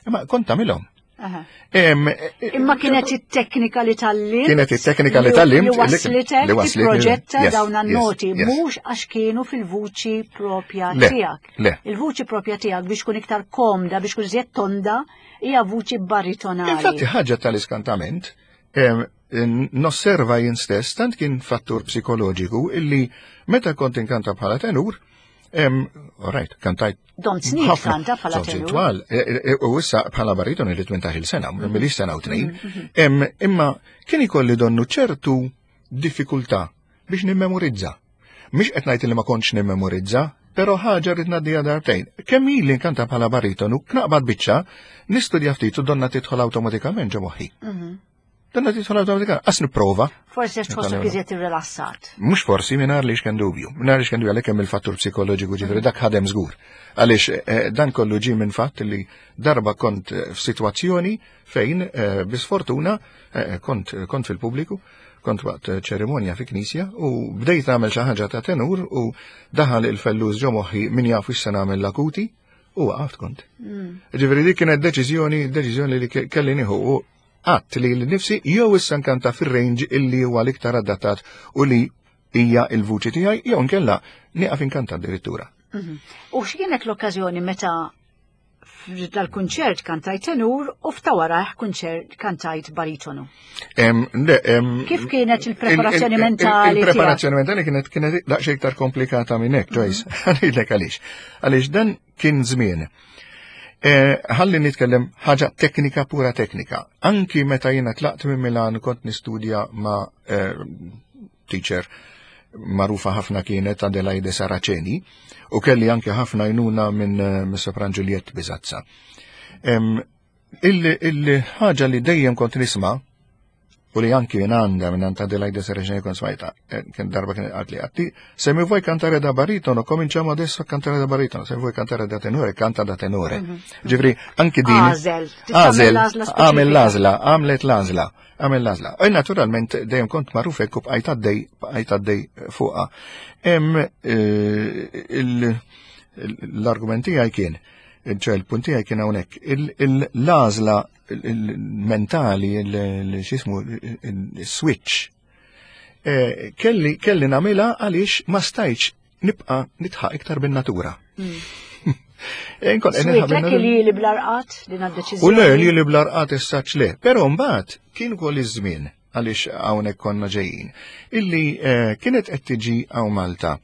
Speaker 2: Imma kont tagħmilhom.
Speaker 1: Aha.
Speaker 2: Em, e-
Speaker 1: Imma kienet it-teknika li tallimt.
Speaker 2: Kienet it-teknika li tallimt,
Speaker 1: Li
Speaker 2: li-
Speaker 1: waslitek,
Speaker 2: li waslitni-
Speaker 1: proġetta
Speaker 2: yes,
Speaker 1: dawn
Speaker 2: yes,
Speaker 1: noti
Speaker 2: yes.
Speaker 1: mhux għax kienu fil-vuċi propja
Speaker 2: Le,
Speaker 1: tiegħek.
Speaker 2: le.
Speaker 1: Il-vuċi propja tiegħek biex tkun iktar komda, biex tkun iżjed tonda, hija vuċi baritonali.
Speaker 2: Infatti ħaġa tal-iskantament, em, nosserva jien stess, tant kien fattur psikoloġiku illi meta kont inkanta bħala tenur, em, all right, kantajt
Speaker 1: Dom snin
Speaker 2: ħafna,
Speaker 1: kanta bħala
Speaker 2: żewġ
Speaker 1: tenur.
Speaker 2: twal, e, e, u issa bħala bariton li 18 sena, milix sena u tnejn, em, imma kien ikolli donnu ċertu diffikultà biex nimmemorizza. Mhix qed ngħid li ma kontx nimmemorizza, però ħaġa rrid ngħaddiha darbtejn. Kemm ili nkanta bħala baritonu, knaqbad biċċa, nistudja ftit u donna tidħol awtomatikament ġo moħħi. Donna tidħol awtomatikament, qas nipprova.
Speaker 1: Forsi għax tħossok iżjed irrilassat.
Speaker 2: Mhux forsi mingħajr li x'kien dubju. Mingħajr li x'kien dubju għalhekk hemm il-fattur psikoloġiku ġifieri dak ħadem żgur. Għaliex eh, dan kollu ġie minn fatt li darba kont eh, f'sitwazzjoni fejn eh, bi sfortuna kont kont fil-pubbliku, kont waqt ċerimonja fi knisja u bdejt nagħmel xi ħaġa ta' tenur u daħal il-fellus ġo moħħi min jaf se nagħmel l-akuti u waqaft kont. Ġifieri dik kienet deċiżjoni, deċiżjoni li kelli nieħu u għadt li l-nifsi jew issa nkanta fir-range illi huwa l-iktar adattat u li hija il-vuċi tiegħi jew nkella nieqaf inkanta addirittura.
Speaker 1: U x'kienet l-okkażjoni meta dal-kunċert kantajt tenur u f'ta warajh kunċert kantajt baritonu?
Speaker 2: Le,
Speaker 1: Kif kienet il-preparazzjoni mentali?
Speaker 2: Il-preparazzjoni mentali kienet kienet daqsxejn iktar komplikata minn hekk, Joyce. Ngħidlek għaliex. Għaliex dan kien żmien. Ħalli nitkellem ħaġa teknika pura teknika. Anki meta jiena tlaqt minn Milan kont nistudja ma' teacher magħrufa ħafna kienet Adelaide Saraceni u kelli anke ħafna għajnuna minn sopran Juliette Bizazza. Il-ħaġa li dejjem kont nisma' u li anki minn għanda minn għand Adelaide Saraceni kont smajta, kien darba kien għad li għatti, se mi vuoi cantare da baritono, cominciamo adesso a cantare da baritono, se vuoi cantare da tenore, canta da tenore. Ġifieri, anki din.
Speaker 1: Għażel,
Speaker 2: Għażel,
Speaker 1: tagħmel
Speaker 2: għamel
Speaker 1: l-għażla
Speaker 2: l-għażla, għamlet l-għażla, għamel l-għażla. U naturalment dejjem kont magħruf hekk u bqajt għaddej, bqajt għaddej fuqha. Hemm l-argument tiegħi kien, ċe il-punt tiegħi kien hawnhekk, l-għażla il-mentali, x'ismu, il-switch, kelli nagħmilha għaliex ma stajtx nibqa' nitħaq iktar bin-natura.
Speaker 1: Nkun qed nilħaq
Speaker 2: bin-natura.
Speaker 1: li li bl-arqat din għad-deċiżjoni.
Speaker 2: U le li li bl-arqat issa le, però mbagħad kien ukoll iż-żmien għaliex hawnhekk konna ġejjin, illi kienet qed tiġi hawn Malta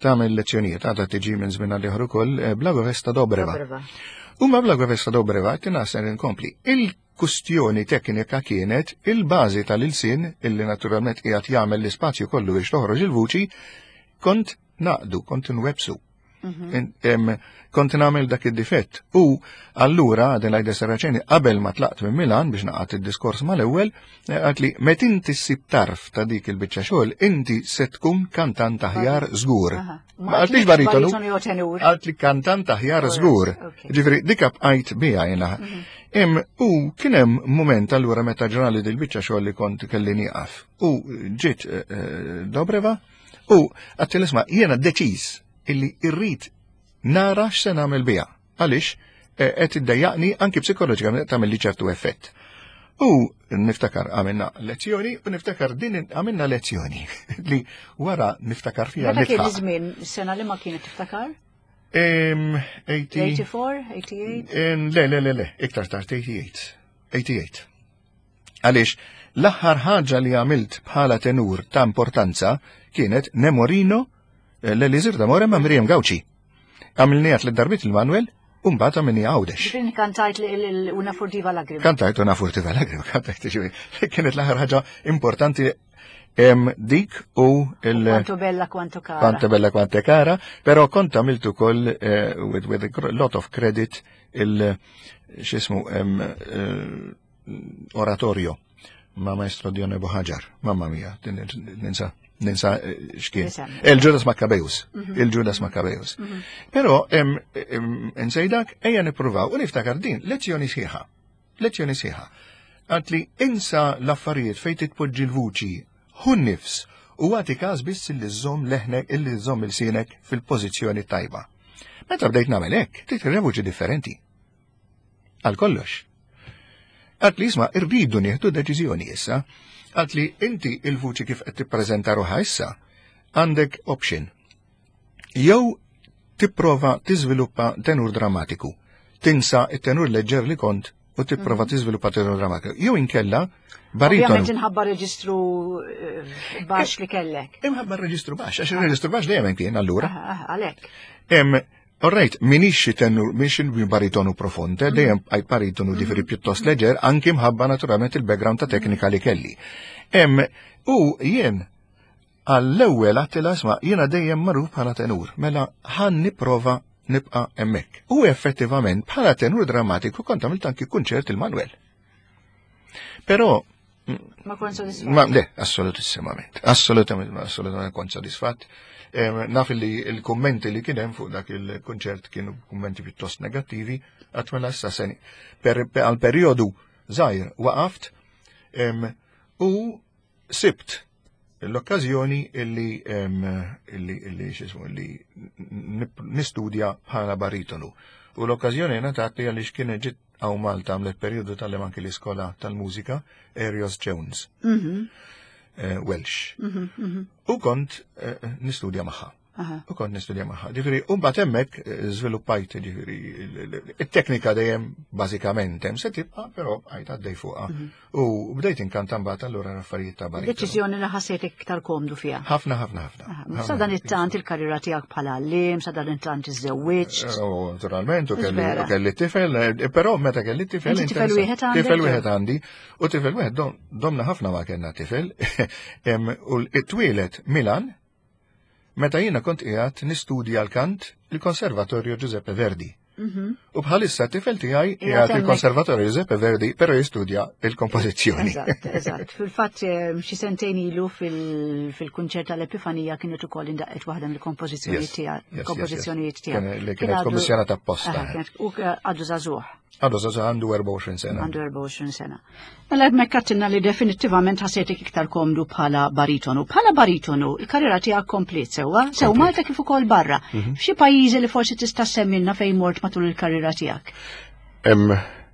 Speaker 2: tagħmel lezzjonijiet, għadha tiġi minn żmien għal ieħor ukoll Blagovesta Dobreva.
Speaker 1: Dobreva.
Speaker 2: U ma Blagovesta Dobreva tingħasel inkompli. Il-kustjoni teknika kienet il-bażi tal-ilsien illi naturalment qiegħed jagħmel l-ispazju kollu biex toħroġ il-vuċi, kont naqdu, kont nwebsu. Kont nagħmel dak id-difett. U allura Adelaide Saraceni qabel ma tlaqt minn Milan biex naqgħad id-diskors mal-ewwel, qalt li meta inti ssib tarf ta' dik il-biċċa xogħol, inti se tkun kantant aħjar żgur. Ma qaltlix baritonu,
Speaker 1: Baritonu jew tenur.
Speaker 2: qalt li kantant aħjar żgur. Ġifieri dik bqajt biha jiena. U kien hemm mument allura meta ġrali dil-biċċa xogħol li kont kelli nieqaf. U ġiet Dobreva u għattil isma' jiena deċiż illi irrid nara x'se nagħmel biha. Għaliex qed iddejjaqni anki psikoloġikament tagħmel li ċertu effett. U niftakar għamilna lezzjoni u niftakar din għamilna lezzjoni li wara niftakar fiha
Speaker 1: Meta kien
Speaker 2: nitħaq.
Speaker 1: iż-żmien sena li ma kienet tiftakar?
Speaker 2: 80
Speaker 1: 84, 88?
Speaker 2: Le, le, le, le, iktar tard 88. 88. Għaliex, l-aħħar ħaġa li għamilt bħala tenur ta' importanza kienet Nemorino l-Elisir d'Amore ma' Miriam Gauci. Għamilniha tliet darbiet il-Manuel, u mbagħad għamilniha Għawdex.
Speaker 1: Ġifieri kantajt Una furtiva lagrima.
Speaker 2: Kantajt Una furtiva lagrima, kantajt ġifieri. Kienet l-aħħar ħaġa importanti dik u il-
Speaker 1: Quanto bella quanto cara.
Speaker 2: Quanto bella quanto cara, però kont għamilt ukoll with a lot of credit il x'ismu oratorio ma' maestro Dione Buhagiar. Mamma mia, din ninsa x'kien.
Speaker 1: Nisem.
Speaker 2: Il-Judas Maccabeus. Il-Judas Maccabeus. Però nsejdak ejja nippruvaw u niftakar din lezzjoni sħiħa. Lezzjoni sħiħa. Għalt li insa l-affarijiet fejn titpoġġi l-vuċi, hu nifs u għati każ biss illi żżomm leħnek, illi żżomm il-sienek fil-pożizzjoni tajba. Meta bdejt nagħmel hekk, trid vuċi differenti. Għal kollox. Għalt li isma' irridu nieħdu deċiżjoni issa. Għalt li inti il-vuċi kif qed tippreżenta ruħha issa, għandek option. Jew tipprova tiżviluppa tenur drammatiku. Tinsa it-tenur leġġer li kont u tipprova tiżviluppa tenur drammatiku. Jew inkella baritonu.
Speaker 1: Ovvjament inħabba reġistru baxx li kellek.
Speaker 2: Imħabba reġistru baxx, għax il-reġistru baxx dejjem kien allura.
Speaker 1: Għalhekk.
Speaker 2: All right, minix xi tenur, minix xi baritonu profond, dejjem għaj baritonu ġifieri pjuttost leġer, anki mħabba naturalment il-background ta' teknika li kelli. U jien Għall-ewwel għattilha isma' jiena dejjem magħruf bħala tenur, mela ħa nipprova nibqa' hemmhekk. U effettivament bħala tenur drammatiku kont għamilt anki kunċert il-Manuel. Però
Speaker 1: Ma kont sodisfatt.
Speaker 2: Ma le, assolutissimament. Assolutament, assolutament kont sodisfatt. Naf li il-kummenti li kien hemm fuq dak il-kunċert kienu kummenti pjuttost negattivi, għat mela issa seni. Għal perjodu żgħir waqaft u sibt l-okkażjoni illi illi illi x'ismu illi nistudja bħala baritonu. U l-okkażjoni ngħatat li għaliex kien ġiet hawn Malta għamlet perjodu tal anki l-iskola tal-mużika Arios Jones. Welsh. U kont nistudja magħha. U kont nistudja magħha. Ġifieri, u mbagħad hemmhekk żviluppajt ġifieri it-teknika dejjem bażikament hemm se tibqa', però bqajt għaddej fuqha. U bdejt inkanta mbagħad allura l-affarijiet ta' baritonu.
Speaker 1: Deċiżjoni li ħassejt iktar komdu fiha.
Speaker 2: Ħafna, ħafna, ħafna.
Speaker 1: Sa dan it-tant il-karriera tiegħek bħala għalliem, sa dan it-tant iżżewwiġt.
Speaker 2: U naturalment, u kelli tifel, però meta kelli tifel.
Speaker 1: Inti tifel wieħed għandek?
Speaker 2: Tifel wieħed għandi, u tifel wieħed domna ħafna ma kellna tifel. U t-twieled Milan, meta jiena kont qiegħed nistudja l-kant il-Konservatorju Giuseppe Verdi. U bħalissa tifel tiegħi qiegħed il-Konservatorju Giuseppe Verdi, però jistudja il-kompożizzjoni.
Speaker 1: Eżatt, eżatt. Fil-fatt xi sentejn ilu fil-kunċert tal-Epifanija kienet ukoll indaqqet waħda mill-kompożizzjonijiet tiegħek. Kompożizzjonijiet tiegħek.
Speaker 2: Li kienet kommissjonata apposta.
Speaker 1: U għadu żagħżugħ.
Speaker 2: Għadu żagħżugħ, għandu 24 sena.
Speaker 1: Għandu 24 sena. Mela hemmhekk għattilna li definittivament ħassejtek iktar komdu bħala baritonu. Bħala baritonu, il-karriera tiegħek komplet sewwa, sew Malta kif ukoll barra. F'xi pajjiżi li forsi tista' semmilna fejn mort matul il-karriera tiegħek?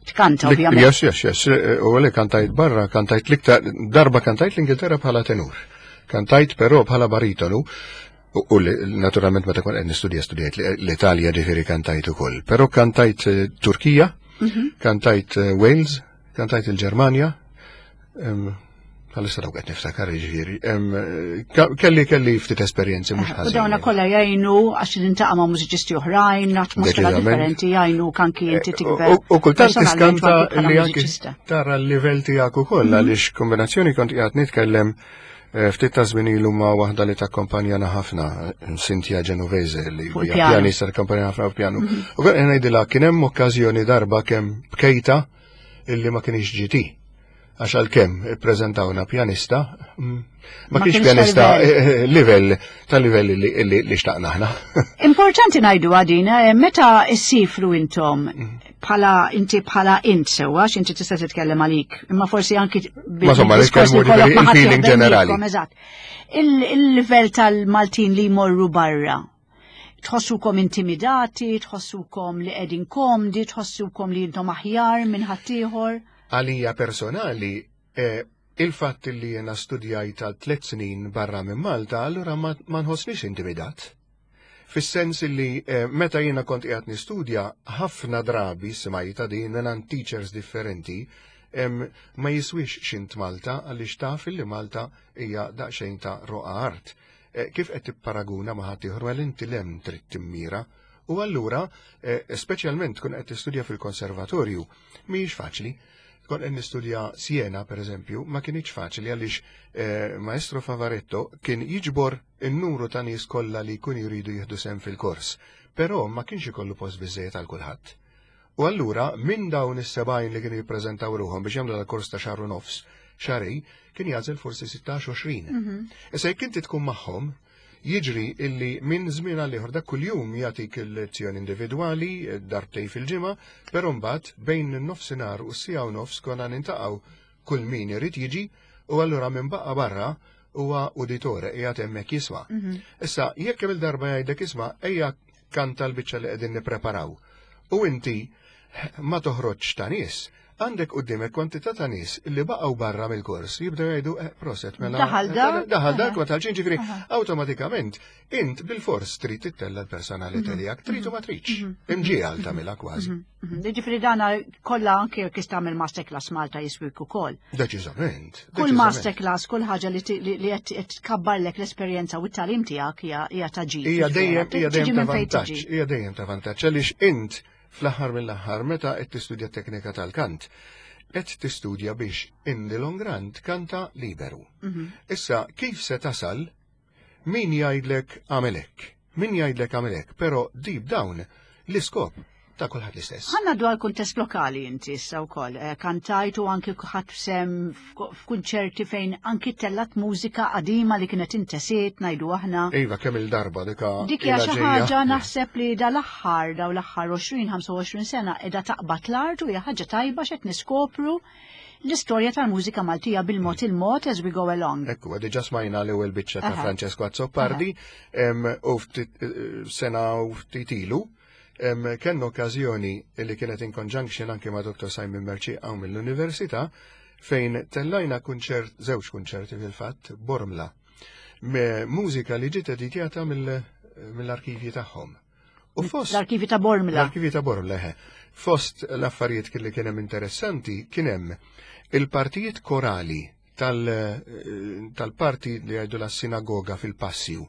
Speaker 1: Tkanta, ovvjament.
Speaker 2: Yes. U għalli kantajt barra, kantajt l-iktar, darba kantajt l-Ingilterra bħala tenur. Kantajt però bħala baritonu. U naturalment meta kont qed nistudja studjajt l-Italja, ġifieri kantajt ukoll. Però kantajt Turkija, kantajt Wales, kantajt il-Ġermanja, għalissa dawk qed niftakar ġifieri. Kelli ftit esperjenzi mhux ħażin.
Speaker 1: U dawna kollha jgħinu għax nintaqa' ma' mużiċisti oħrajn, atmosfera differenti jgħinu anki inti tikber.
Speaker 2: U kultant tiskanta li anki tara l-livell tiegħek ukoll għaliex kombinazzjoni kont qiegħed nitkellem ftit ta' żmien ilu ma' waħda li takkompanjana ħafna, Cynthia Genovese, li hija pjanista takkompanjana ħafna piano. U kien ngħidilha kien hemm okkażjoni darba kemm bkejta illi ma kienx ġiti. Għax għalkemm ippreżentawna pjanista, ma kienx pjanista livell tal-livell li xtaqna aħna.
Speaker 1: Importanti ngħidu għadina, meta ssifru intom bħala inti bħala int sewwa, x'inti tista' titkellem għalik, imma forsi anki
Speaker 2: Ma somma, nitkellmu il-feeling ġenerali.
Speaker 1: Eżatt. Il-livell tal-Maltin li jmorru barra, tħossukom intimidati, tħossukom li qegħdin komdi, tħossukom li intom aħjar minn ħaddieħor?
Speaker 2: Għalija personali, il-fatt li jena studjajt għal 3 snin barra minn Malta, allura ma nħossnix intimidat. Fis-sens li meta jiena kont qiegħed nistudja, ħafna drabi smajta din minn teachers differenti, ma jiswix xint Malta għaliex taf li Malta hija daqsxejn ta' roqa art. Kif qed tipparaguna ma' ħaddieħor għal inti lem trid timmira. U allura, speċjalment tkun qed tistudja fil-konservatorju, mhijiex faċli. Tkun qed nistudja Siena, per eżempju, ma kienx faċli għaliex Maestro Favaretto kien jiġbor in-numru ta' nies kollha li jkun jridu jieħdu sehem fil-kors, però ma kienx ikollu post biżejjed għal kulħadd. U allura minn dawn is-70 li kienu jippreżentaw ruħhom biex jagħmlu dal-kors ta' xahar u nofs, xarej, kien jagħżel forsi 16-20. Issa jekk inti tkun magħhom, jiġri illi minn żmien għal ieħor dak kuljum jagħtik il-lezzjoni individwali darbtej fil-ġimgħa, però mbagħad bejn in-nofsinhar u s-siegħa u nofs konna nintaqgħu kull min irid jiġi, u allura minn baqa' barra huwa uditore qiegħed hemmhekk jisma'. Issa jekk kemm il-darba jgħidlek isma' ejja kanta l-biċċa li qegħdin nippreparaw. U inti ma toħroġx ta' nies, għandek quddiemek kwantità ta' nies li baqgħu barra mill-kors jibdew jgħidu proset mela.
Speaker 1: Daħal dak.
Speaker 2: Daħal dak ma talġin, ġifieri awtomatikament int bil-fors trid tittella l-personalità tiegħek, trid u ma tridx. Imġiegħel tagħmilha kważi.
Speaker 1: Ġifieri dana kollha anke jekk tagħmel masterclass Malta jiswik ukoll.
Speaker 2: Deċiżament.
Speaker 1: Kull masterclass, kull ħaġa li qed tkabbarlek l-esperjenza u t-tagħlim tiegħek hija ta' ġid.
Speaker 2: Hija dejjem ta' vantaġġ, hija dejjem ta' vantaġġ għaliex int fl-aħħar mill-aħħar meta qed tistudja teknika tal-kant, qed tistudja biex in the long run tkanta liberu. Issa kif se tasal? Min jgħidlek għamel hekk, min jgħidlek għamel hekk, però deep down l-iskop ta' kulħadd l-istess.
Speaker 1: Ħa ngħaddu għal kuntest lokali inti issa wkoll. Eh, kantajt u anki ħadd sem f'kunċerti fejn anki tellat mużika qadima li kienet intesiet ngħidu aħna.
Speaker 2: Iva, kemm il-darba dika.
Speaker 1: Dik hija xi ħaġa naħseb li dal-aħħar daw l-aħħar 20-25 sena qiegħda taqbad l-art u hija ħaġa tajba x'qed niskopru l-istorja tal-mużika Maltija bil-mod il-mod as we go along.
Speaker 2: Ekku, diġa smajna l-ewwel biċċa ta' Francesco Azzopardi u ftit eh, sena u ftit ilu kellna okkażjoni li kienet in conjunction anke ma' Dr. Simon Mercieca hawn mill-Università fejn tellajna kunċert, żewġ kunċerti fil-fatt, Bormla. Mużika li ġiet editjata mill-arkivji tagħhom.
Speaker 1: U fost l-arkivi ta' Bormla.
Speaker 2: L-arkivi ta' Bormla, eħe. Fost l-affarijiet li kien hemm interessanti kien hemm il-partijiet korali tal-parti li jgħidu la sinagoga fil-Passju.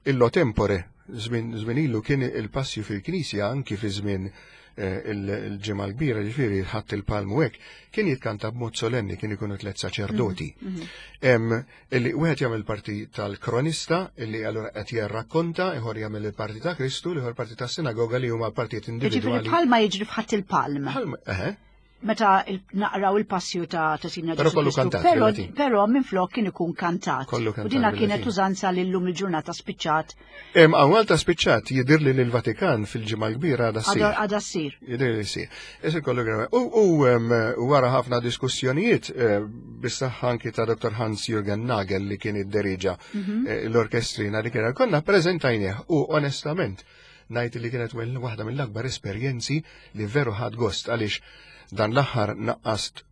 Speaker 2: Illo tempore, żmien ilu kien il-Passju fil-Knisja anki fi żmien eh, il-ġimgħa l-kbira, ġifieri ħadd il-palmu hekk, kien jitkanta b'mod solenni, kien ikunu tliet saċerdoti. Mhm, mhm. Illi wieħed jagħmel parti tal-kronista illi allura qed jirrakkonta, ieħor jagħmel il-parti ta' Kristu, l-ieħor parti tas-sinagoga li huma partijiet individwali.
Speaker 1: Ġifieri bħalma jiġri f'ħadd il-palm. Meta naqraw il-passju ta' ta' Sidna
Speaker 2: Però kollu kantat.
Speaker 1: Però, però minflok kien ikun kantat. U dina kienet użanza li llum il-ġurnata spiċċat.
Speaker 2: Hawn Malta spiċċat jidhirli li l-Vatikan fil-ġimgħa l-kbira għadha ssir.
Speaker 1: Għadha ssir.
Speaker 2: Jidhirli li ssir. Isir kollu gravi. U wara ħafna diskussjonijiet eh, bis-saħħa anki ta' Dr. Hans Jürgen Nagel li kien idderiġa mhm. eh, l-orkestrina li kien konna preżentajnieh u onestament ngħid li kienet waħda mill-akbar esperjenzi li veru ħadt gost għaliex dan l-aħħar naqqast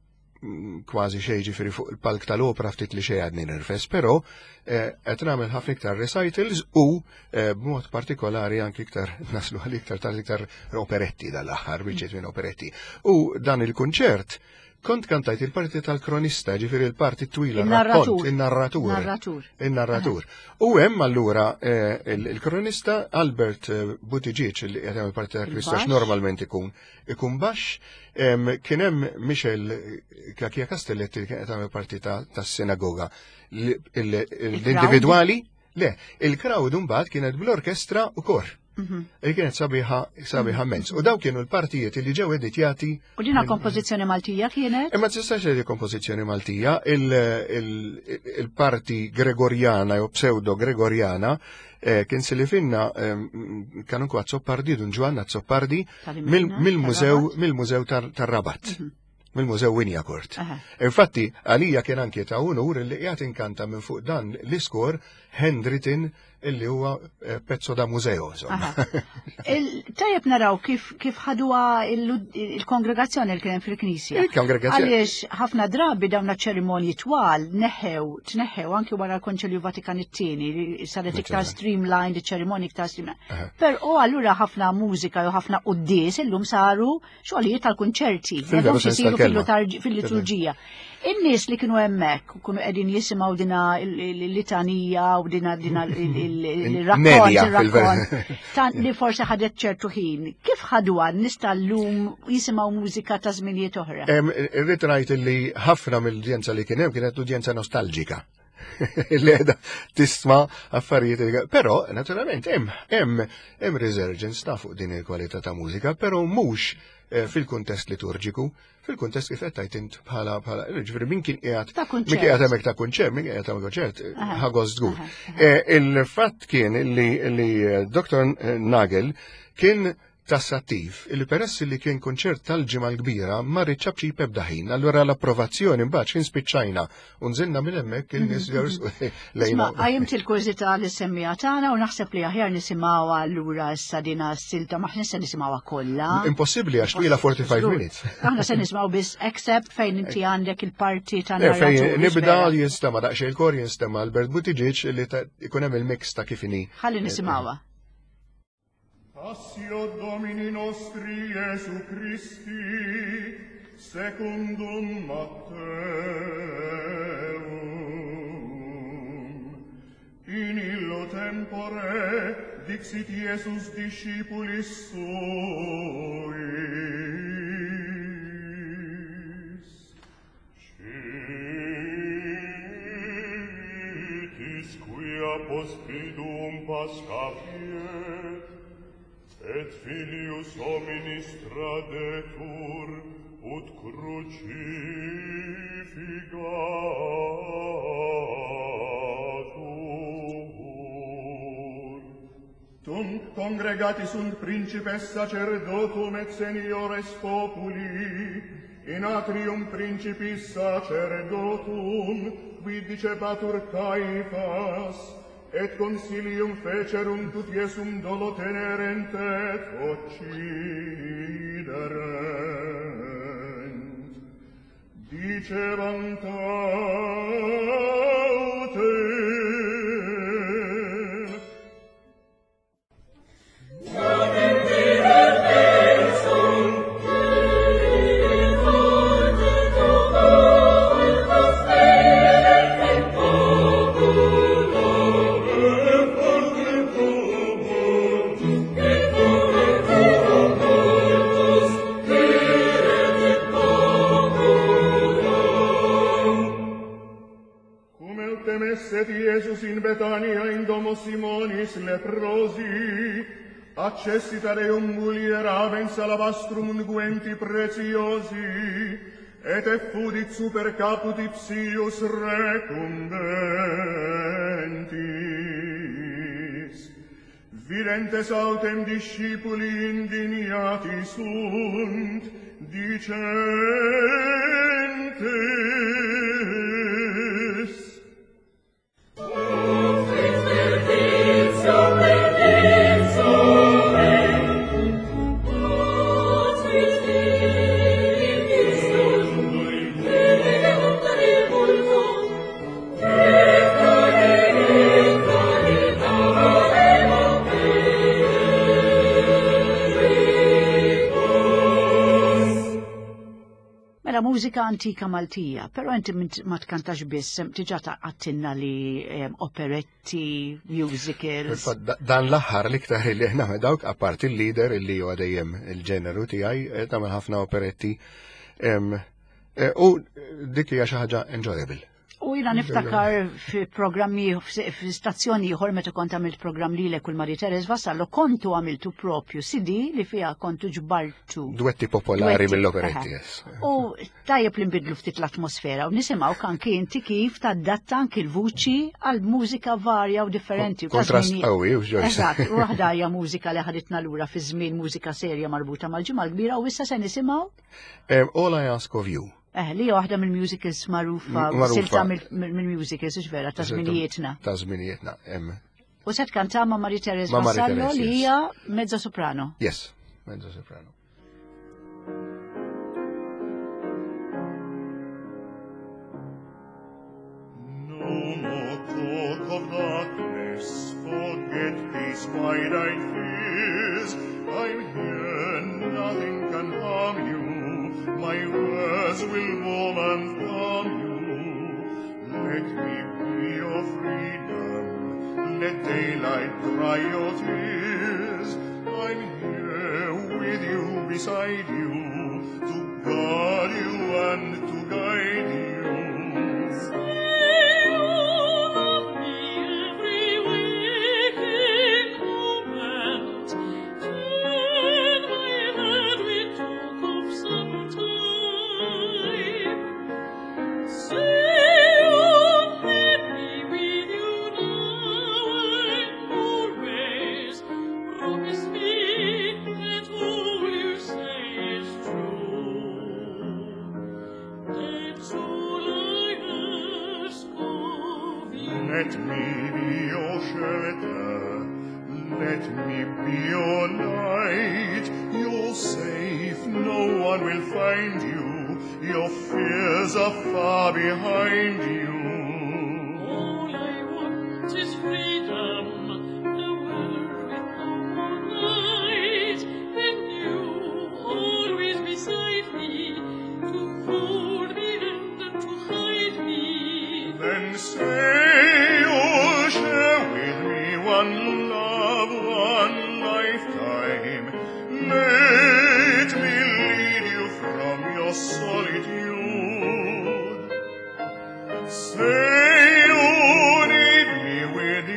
Speaker 2: mm, kważi xejn ġifieri fuq il-palk tal-opera ftit li xejn għadni nirfes, però eh, qed nagħmel ħafna iktar recitals u eh, b'mod partikolari anki iktar naslu għal iktar tal-iktar operetti dal-aħħar, biċċiet minn operetti. U dan il-kunċert Kont kantajt il-parti tal-kronista, ġifieri il-parti twila,
Speaker 1: il-narratur.
Speaker 2: Il-narratur. Il-narratur. U hemm allura eh, il-kronista Albert eh, Buttigieg li qed jagħmel parti tal-kronista normalment ikun ikun baxx, kien hemm Michel Kakia Castelletti li kien qed jagħmel parti tas-sinagoga. L-individwali, le, il-crowd mbagħad kienet bl-orkestra u kor. Mhm. Li kienet sabiħa sabiħa mens. U daw kienu l-partijiet li ġew editjati.
Speaker 1: U dina kompożizzjoni Maltija kienet?
Speaker 2: Imma tistax li kompożizzjoni Maltija, il-parti Gregorjana jew pseudo Gregorjana eh, kien silifinna eh, kanunku Azzopardi, Dun Ġwann Azzopardi, mill-mużew mill-mużew tar-Rabat. Mhm. Mill-Mużew Wignacourt. Infatti, għalija kien anki ta' unur li qiegħed inkanta minn fuq dan l-iskor handwritten illi huwa eh, pezzo da museo.
Speaker 1: Tajjeb naraw kif kif ħaduha il-kongregazzjoni li kien fil-knisja.
Speaker 2: Il-kongregazzjoni.
Speaker 1: Għaliex ħafna drabi dawn ċerimonji twal neħew, tneħew anki wara l-Konċilju Vatikan it-tieni li saret iktar streamlined, iċ-ċerimonji iktar streamlined. Però allura ħafna mużika jew ħafna quddies illum saru xogħlijiet tal-kunċerti, isiru fil-liturġija. In-nies li kienu hemmhekk kienu qegħdin jisimgħu dina l-litanija u dina dina il-rakkont li forsi ħadet ċertu ħin. Kif ħaduha n-nies tal-lum jisimgħu mużika ta' żminijiet oħra?
Speaker 2: Irrid ngħid li ħafna mill-udjenza li kien hemm kienet udjenza nostalġika. li qiegħda tisma' affarijiet. Però naturalment hemm hemm hemm resurgence ta' fuq din il-kwalità ta' mużika, però mhux eh, fil-kuntest liturġiku, fil-kuntest kif qed tgħid int bħala bħala ġifieri min kien qiegħed min kien qiegħed hemmhekk ta' kunċert, min qiegħed hemmhekk kunċert, ħagost żgur. Eh, il-fatt kien li eh, Dr. Nagel kien tassattiv illi peress li kien kunċert tal-Ġimgħa l-Kbira ma riċċabċi ebda ħin, allura l-approvazzjoni mbagħad x'in spiċċajna u nżilna minn hemmhekk in-nies mhm, mhm.
Speaker 1: lejna. Qajjimt il-kurżità li semmija tagħna u naħseb li aħjar nisimgħuha allura issa dina s-silta ma se nisimgħuha kollha.
Speaker 2: Impossibbli għax twila 45 minutes.
Speaker 1: Aħna se nisimgħu biss except fejn inti għandek il-parti ta' eh,
Speaker 2: Fejn nibda jinstema' daqsxejn il-kor jinstema' Albert Buttigieg li ikun hemm il-mix ta' kif inhi.
Speaker 1: Ħalli nisimgħuha.
Speaker 3: Passio Domini nostri Jesu Christi, secundum Matteum. In illo tempore dixit Jesus discipulis suis. Vigilia post triduum Pascha fiet, et filius hominis tradetur, ut crucifigatur. Tunc congregati sunt principes sacerdotum et seniores populi, in atrium principis sacerdotum, qui dicebatur Caifas, et consilium fecerunt ut Iesum dolo tenerent et occiderent. Dicebant autem, Cum autem esset Iesus in Betania in domo Simonis leprosi, accessit ad eum mulier habens alabastrum unguenti preciosi, et effudit super caput ipsius recumbentis. Videntes autem discipuli indignati sunt, dicentes,
Speaker 1: Mela mużika antika Maltija, però inti ma tkantax biss, diġà għattinna li operetti, musicals.
Speaker 2: Dan l-aħħar l-iktar li aħna dawk apparti l-lieder li huwa dejjem il-ġeneru tiegħi, tagħmel ħafna operetti. U dik hija xi ħaġa enjoyable.
Speaker 1: U jina niftakar fi programmi, fi stazzjoni ieħor meta kont għamilt programm lilek u l-Marie Therese Vassallo, kontu għamiltu propju CD li fiha kontu ġbartu.
Speaker 2: Duetti popolari
Speaker 1: Duetti,
Speaker 2: mill-operetti,
Speaker 1: aha.
Speaker 2: yes.
Speaker 1: U tajjeb li nbidlu ftit l-atmosfera u nisimgħu anki inti kif tadatta anki l-vuċi għal mużika varja u differenti. U ta'
Speaker 2: Kontrast
Speaker 1: żmien-
Speaker 2: qawwi, u Joyce.
Speaker 1: Eżatt, u waħda hija mużika li ħaditna lura fi żmien mużika serja marbuta mal-Ġimgħa l-Kbira u issa se nisimgħu
Speaker 2: All I Ask of You.
Speaker 1: Li hija waħda mill-musicals magħrufa,
Speaker 2: Magħrufa.
Speaker 1: silta mill-musicals, hux vera, ta' żminijietna.
Speaker 2: Ta' żminijietna.
Speaker 1: U se tkanta ma' Marie Therese
Speaker 2: Ma' Marie
Speaker 1: Vassallo
Speaker 2: Therese,
Speaker 1: li
Speaker 2: yes.
Speaker 1: hija mezzo soprano.
Speaker 2: Yes, mezzo soprano.
Speaker 3: No more talk of darkness, forget these wide-eyed fears. I'm here, nothing can harm you. My words will warm and calm you. Let me be your freedom, let daylight dry your tears. I'm here with you, beside you, to guard you and to guide you.
Speaker 4: Promise me that all you say is true. That's all I ask of you.
Speaker 3: Let me be your shelter, let me be your light. You're safe, no one will find you. Your fears are far behind you.
Speaker 4: All I want is freedom, a world with no more night, and you always beside me, to hold me and to hide me.
Speaker 3: Then say you'll share with me one love, one lifetime. Let me lead you from your solitude. Say you need me with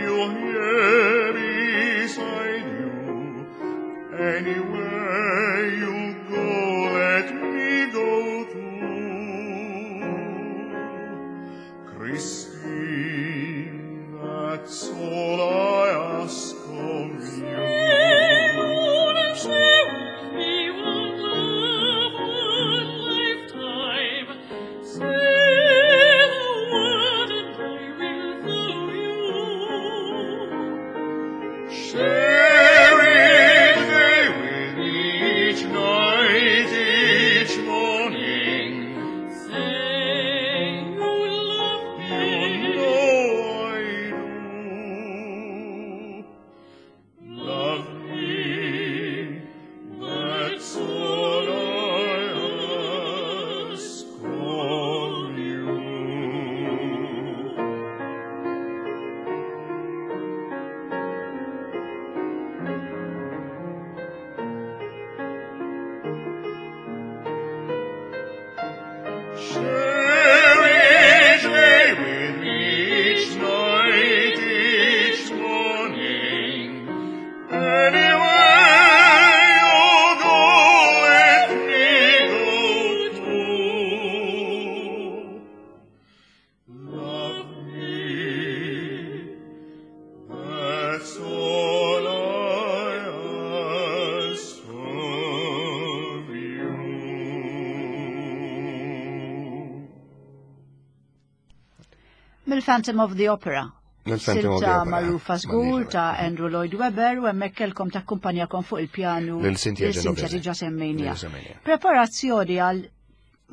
Speaker 1: Il-Phantom of the Opera.
Speaker 2: Il-Phantom of the
Speaker 1: Silta
Speaker 2: Opera.
Speaker 1: magħrufa żgur ta' Andrew Lloyd Webber u hemmhekk kellkom takkumpanjakom fuq il-pjanu
Speaker 2: Lil Cynthia
Speaker 1: lil Cynthia
Speaker 2: Genovese.
Speaker 1: diġà semmejnija.
Speaker 2: Lil semmejnija.
Speaker 1: Preparazzjoni għal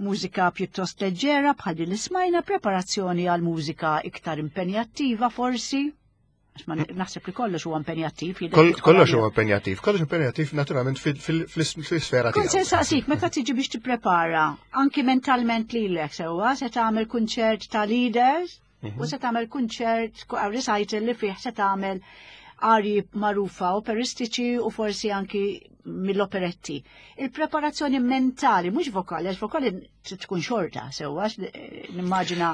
Speaker 1: mużika pjuttost leġġera bħal din li smajna, preparazzjoni għal mużika iktar impenjattiva forsi. Għax ma naħseb li kollox huwa impenjattiv. jidher li tkun
Speaker 2: Kollox
Speaker 1: għalija.
Speaker 2: huwa impenjattiv, kollox impenjattiv naturalment fil-sfera
Speaker 1: Kont se
Speaker 2: tiegħu.
Speaker 1: nsaqsik, meta tiġi biex tipprepara, anki mentalment lilek sewwa, se tagħmel kunċert ta' leaders u se tagħmel kunċert recital li fih se tagħmel arji magħrufa operistiċi u forsi anki mill-operetti. Il-preparazzjoni mentali, mhux vokali, għax vokali trid tkun xorta sewwa, għax, nimmaġina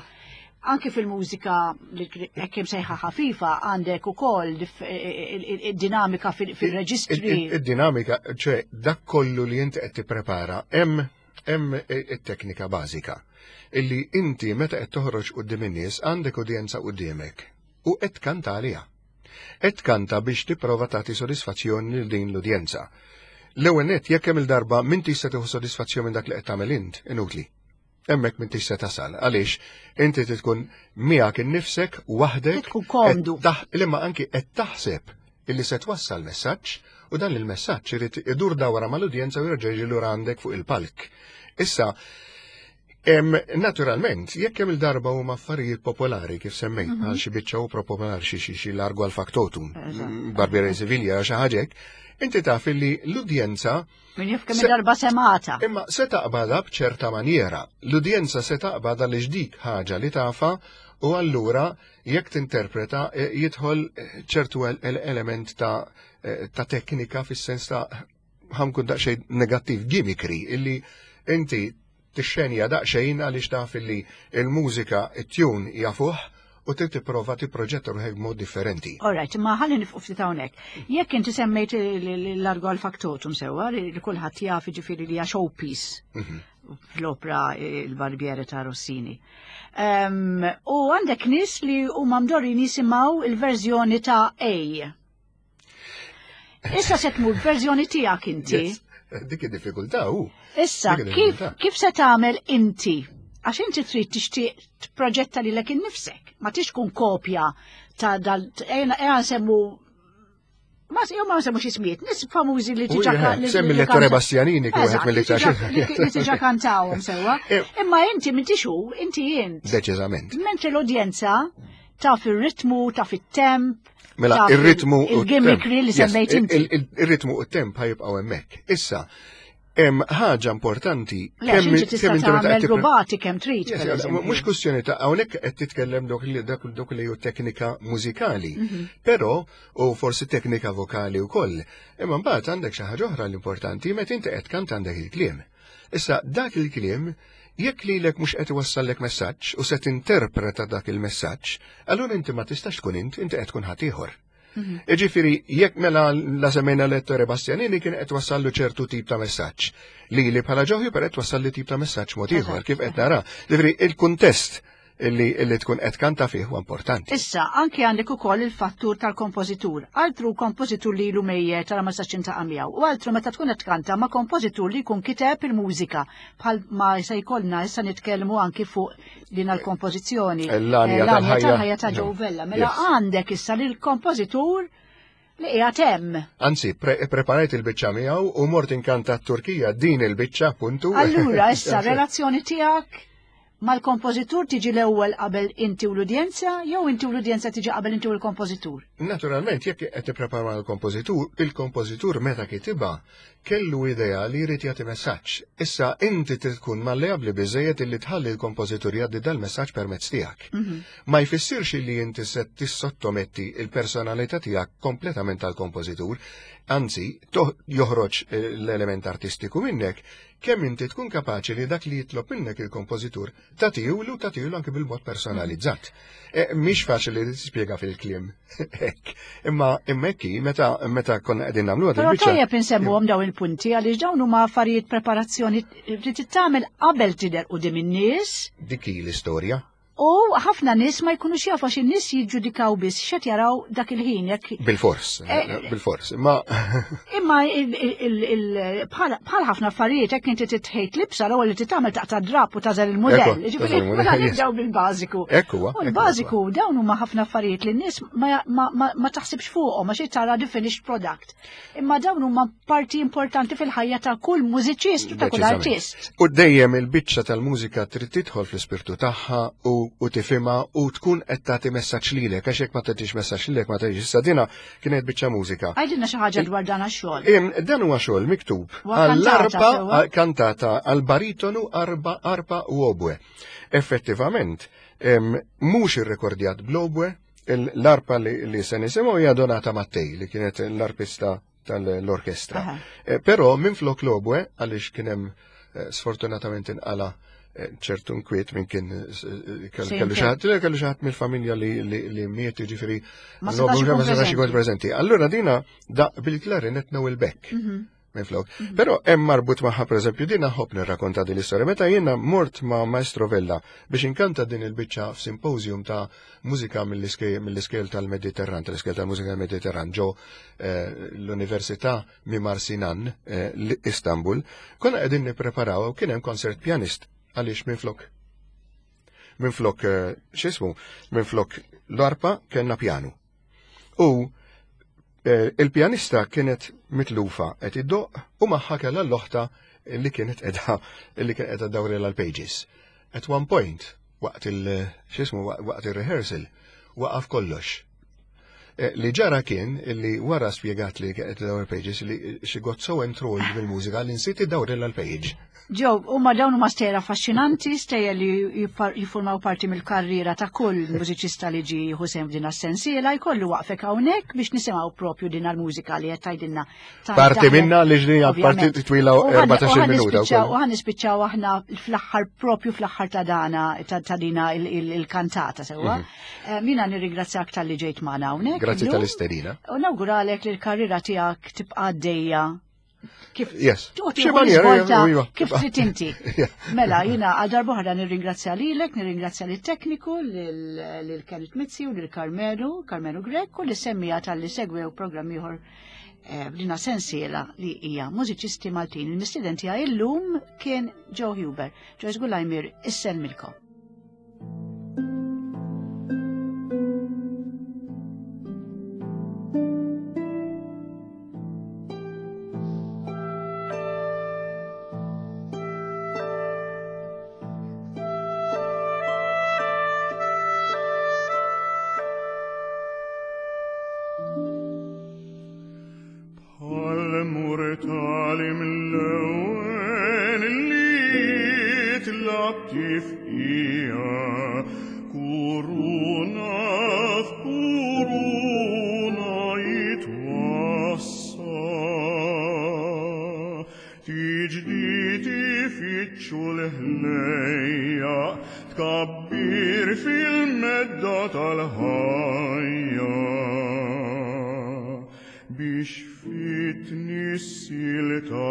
Speaker 1: anki fil-mużika li hekk sejħa ħafifa għandek ukoll id-dinamika fil-reġistri.
Speaker 2: Id-dinamika, ċe dak kollu li inti qed tipprepara, hemm it-teknika bażika illi inti meta qed toħroġ quddiem in-nies għandek udjenza quddiemek u qed tkanta għaliha. Qed tkanta biex tipprova tagħti sodisfazzjon lil din l-udjenza. L-ewwel nett jekk hemm il-darba m'intix se tieħu sodisfazzjon minn dak li qed tagħmel int, inutli. Hemmhekk m'intix se tasal. Għaliex inti trid tkun miegħek innifsek waħdek.
Speaker 1: Tkun komdu.
Speaker 2: Imma anki qed taħseb illi se twassal messaġġ u dan il-messaġġ irid idur dawra mal-udjenza u jerġa' jiġi lura għandek fuq il-palk. Issa, naturalment, jekk hemm il-darba huma affarijiet popolari kif semmejt, għal xi biċċa opera popolari xi xi xi Largo al Factotum, Barbiere di Siviglia, xi ħaġa hekk, inti taf illi l-udjenza
Speaker 1: Min jaf kemm darba semata.
Speaker 2: Imma se taqbadha b'ċerta maniera. L-udjenza se taqbadha li dik ħaġa li tafa u allura jekk tinterpreta jidħol ċertu element ta' teknika fis-sens ta' ħa nkun daqsxejn negattiv gimmickry illi inti tixxenja daqsxejn għaliex taf illi il-mużika, it-tune jafuh u trid tipprova tipproġetta ruħek b'mod differenti.
Speaker 1: All right, ma ħalli nifqu ftit hawnhekk. Jekk inti semmejt l-Largo al Factotum sewwa li kulħadd jaf jiġifieri li hija showpiece fl-opera Il-Barbiere ta' Rossini. U għandek nies li huma mdorrin jisimgħu il-verżjoni ta' A. Issa se tmur verżjoni tiegħek inti.
Speaker 2: Yes. Dik id-diffikultà hu.
Speaker 1: Issa,
Speaker 2: Dik id-diffikultà.
Speaker 1: kif se tagħmel inti? Għax inti trid tixtieq tproġetta lilek innifsek, ma tix tkun kopja ta' dal ejja nsemmu ma jew ma nsemmu xi ismijiet, nies famużi li
Speaker 2: U
Speaker 1: diġà
Speaker 2: semmi
Speaker 1: li
Speaker 2: l-Ettore Bastianini kif wieħed
Speaker 1: Eżatt,
Speaker 2: mill-iktar
Speaker 1: li diġà kantawhom sewwa. Imma inti m'intix hu, inti int.
Speaker 2: Deċiżament.
Speaker 1: Mentri l-udjenza taf ir-ritmu, taf it-temp,
Speaker 2: Mela,
Speaker 1: taf
Speaker 2: ir-ritmu u
Speaker 1: il-gimmickry li
Speaker 2: Yes,
Speaker 1: semmejt inti.
Speaker 2: Ir-ritmu u t-temp ħa jibqgħu hemmhekk. Issa, hemm ħaġa importanti
Speaker 1: Le, għax inti tista'
Speaker 2: kemm inti meta
Speaker 1: tagħmel
Speaker 2: qed tippre-
Speaker 1: rubati kemm trid,
Speaker 2: Yes,
Speaker 1: per
Speaker 2: yes,
Speaker 1: eżempju.
Speaker 2: mhux kwestjoni ta' hawnhekk qed titkellem dok li dak dok li hu teknika mużikali, però u forsi teknika vokali wkoll. Imma mbagħad għandek xi ħaġa oħra l-importanti meta inti qed kant għandek il-kliem. Issa dak il-kliem jekk lilek mhux qed iwassallek messaġġ u se tinterpreta dak il-messaġġ, allura inti ma tistax tkun int, inti qed tkun ħadd ieħor. Iġifieri, jekk mela la semmejna l-Ettore Bastianini kien qed wassallu ċertu tip ta' messaġġ. Li li bħala Joe Hubert qed wassalli tip ta' messaġġ mod ieħor kif qed nara. Ġifieri il-kuntest illi tkun qed kanta fih huwa importanti.
Speaker 1: Issa, anki għandek ukoll il-fattur tal-kompożitur. Altru kompożitur li ilu mejjet tara ma sax intaqa' miegħu. U altru meta tkun qed tkanta ma' kompożitur li jkun kiteb il-mużika bħal ma se jkollna issa nitkellmu anki fuq din l-kompożizzjoni.
Speaker 2: L-għanja
Speaker 1: L-għanja
Speaker 2: tal-ħajja.
Speaker 1: tal-ħajja ta' Joe Vella. Mela għandek issa lill-kompożitur li qiegħed hemm.
Speaker 2: Anzi, preparajt il-biċċa miegħu u mort inkanta t-Turkija din il-biċċa appuntu.
Speaker 1: Allura issa relazzjoni tiegħek mal-kompożitur tiġi l-ewwel qabel inti u l-udjenza jew inti u l-udjenza tiġi qabel inti u l-kompożitur?
Speaker 2: Naturalment, jekk qed tipprepara mal-kompożitur, il-kompożitur meta kitibha kellu idea li jrid jagħti messaġġ. Issa inti trid tkun malleabbli biżejjed illi tħalli l-kompożitur jgħaddi dal-messaġġ permezz tiegħek. Ma jfissirx li inti se tissottometti il-personalità tiegħek kompletament tal-kompożitur, anzi joħroġ l-element artistiku minnek, kemm inti tkun kapaċi li dak li jitlob minnek il-kompożitur tagħtihulu tagħtihulu anke bil-mod personalizzat. Mhix faċli li tispjega fil-kliem. Hekk. Imma hekk meta konna qegħdin nagħmluha
Speaker 1: Però
Speaker 2: dil-biċċa.
Speaker 1: tajjeb insemmuhom dawn il-punti għaliex dawn huma affarijiet preparazzjoni li trid tagħmel qabel tidher quddiem in-nies.
Speaker 2: Dik hi l-istorja.
Speaker 1: U ħafna nies ma jkunux jafu għax in-nies jiġġudikaw biss x'qed jaraw dak il-ħin jekk.
Speaker 2: Bil-fors, eh, bil-fors. Imma
Speaker 1: imma bħal ħafna affarijiet jekk inti titħejt libsa l-ewwel li titgħamel taqta' drap u tażel il-mudell. Ġifieri mela nibdew bil-bażiku.
Speaker 2: Ekku.
Speaker 1: U l-bażiku dawn huma ħafna affarijiet li n-nies ma taħsibx fuqhom għax tara the finished product. Imma dawn huma parti importanti fil-ħajja ta' kull mużiċist u ta' kull artist.
Speaker 2: U dejjem il-biċċa tal-mużika trid tidħol fl-ispirtu tagħha u, u tifhimha u tkun qed tagħti messaġġ lilek għax jekk ma tagħtix messaġġ lilek ma tagħtix. Issa dina kienet biċċa mużika.
Speaker 1: Għidilna xi ħaġa dwar dan għax-xogħol.
Speaker 2: Dan huwa xogħol miktub għall-arpa kantata għall-baritonu arba arpa u obwe. Effettivament, mhux irrekordjat bl-obwe, L-arpa li se nisimgħu hija Donata Mattei li kienet l-arpista tal-orkestra. Eh, però minn flok l-obwe għaliex kien hemm eh, sfortunatament inqala eh, ċertu nkwiet minn kien kellu xaħat, kellu xaħat mill-familja li miet ġifiri
Speaker 1: ma setax
Speaker 2: ikun preżenti. Allura dina da bil-klarinet Noel Beck. Mhm. Minflok. Mhm. Però hemm marbut magħha pereżempju din ħobb nirrakkonta din l-istorja. Meta jiena mort ma' Maestro Vella biex inkanta din il-biċċa f'simposium ta' mużika mill-iskejl tal-Mediterran, tal-iskejl tal-mużika tal-Mediterran ġo eh, l-Università Mimar Sinan eh, Istanbul, konna qegħdin nippreparaw u kien hemm konsert pjanist għaliex minflok minflok eh, x'ismu, minflok l-arpa kellna pjanu. U eh, il-pjanista kienet mitlufa qed iddoq u magħha kellha l-oħta li kienet qiegħda li kienet qiegħda dawrela l-pages. At one point, waqt il x'ismu waqt il-rehearsal, waqaf kollox. Eh, li ġara kien li wara spjegat li kienet dawr pages li she got so enthralled bil-mużika li nsiet iddawrela l-page.
Speaker 1: Ġew, huma dawn huma stejjer affaxxinanti, stejjer li jiffurmaw parti mill-karriera ta' kull mużiċista li ġie jieħu sehem f'din as-sensiela, jkollu waqfek hawnhekk biex nisimgħu propju din l-mużika li qed tgħidilna.
Speaker 2: Parti minna li ġdija parti twila 14 minuta.
Speaker 1: U ħan nispiċċaw aħna fl-aħħar propju fl-aħħar ta' dana ta' dina il-kantata sewwa. Mhm. Eh, mina nirringrazzjak tal-li ġejt magħna hawnhekk.
Speaker 2: Grazzi tal-istedina.
Speaker 1: U nawguralek li l-karriera tiegħek tibqa' għaddejja
Speaker 2: Kif yes.
Speaker 1: Xi maniera iva. Kif trid inti. Mela, jiena għal darbohra nirringrazzja lilek, nirringrazzja lit-tekniku, lil Kenneth Mizzi u lil Carmelu, Carmelu Grek u li semmija tal-li segwew programm ieħor eh, b'dina sensiela li hija mużiċisti Maltin. Il-mistieden tiegħi illum kien Joe Huber. Joyce Gulajmir, issellmilkom.
Speaker 3: Tkabbir fil-medda tal-ħajja biex fit-tnissil ta'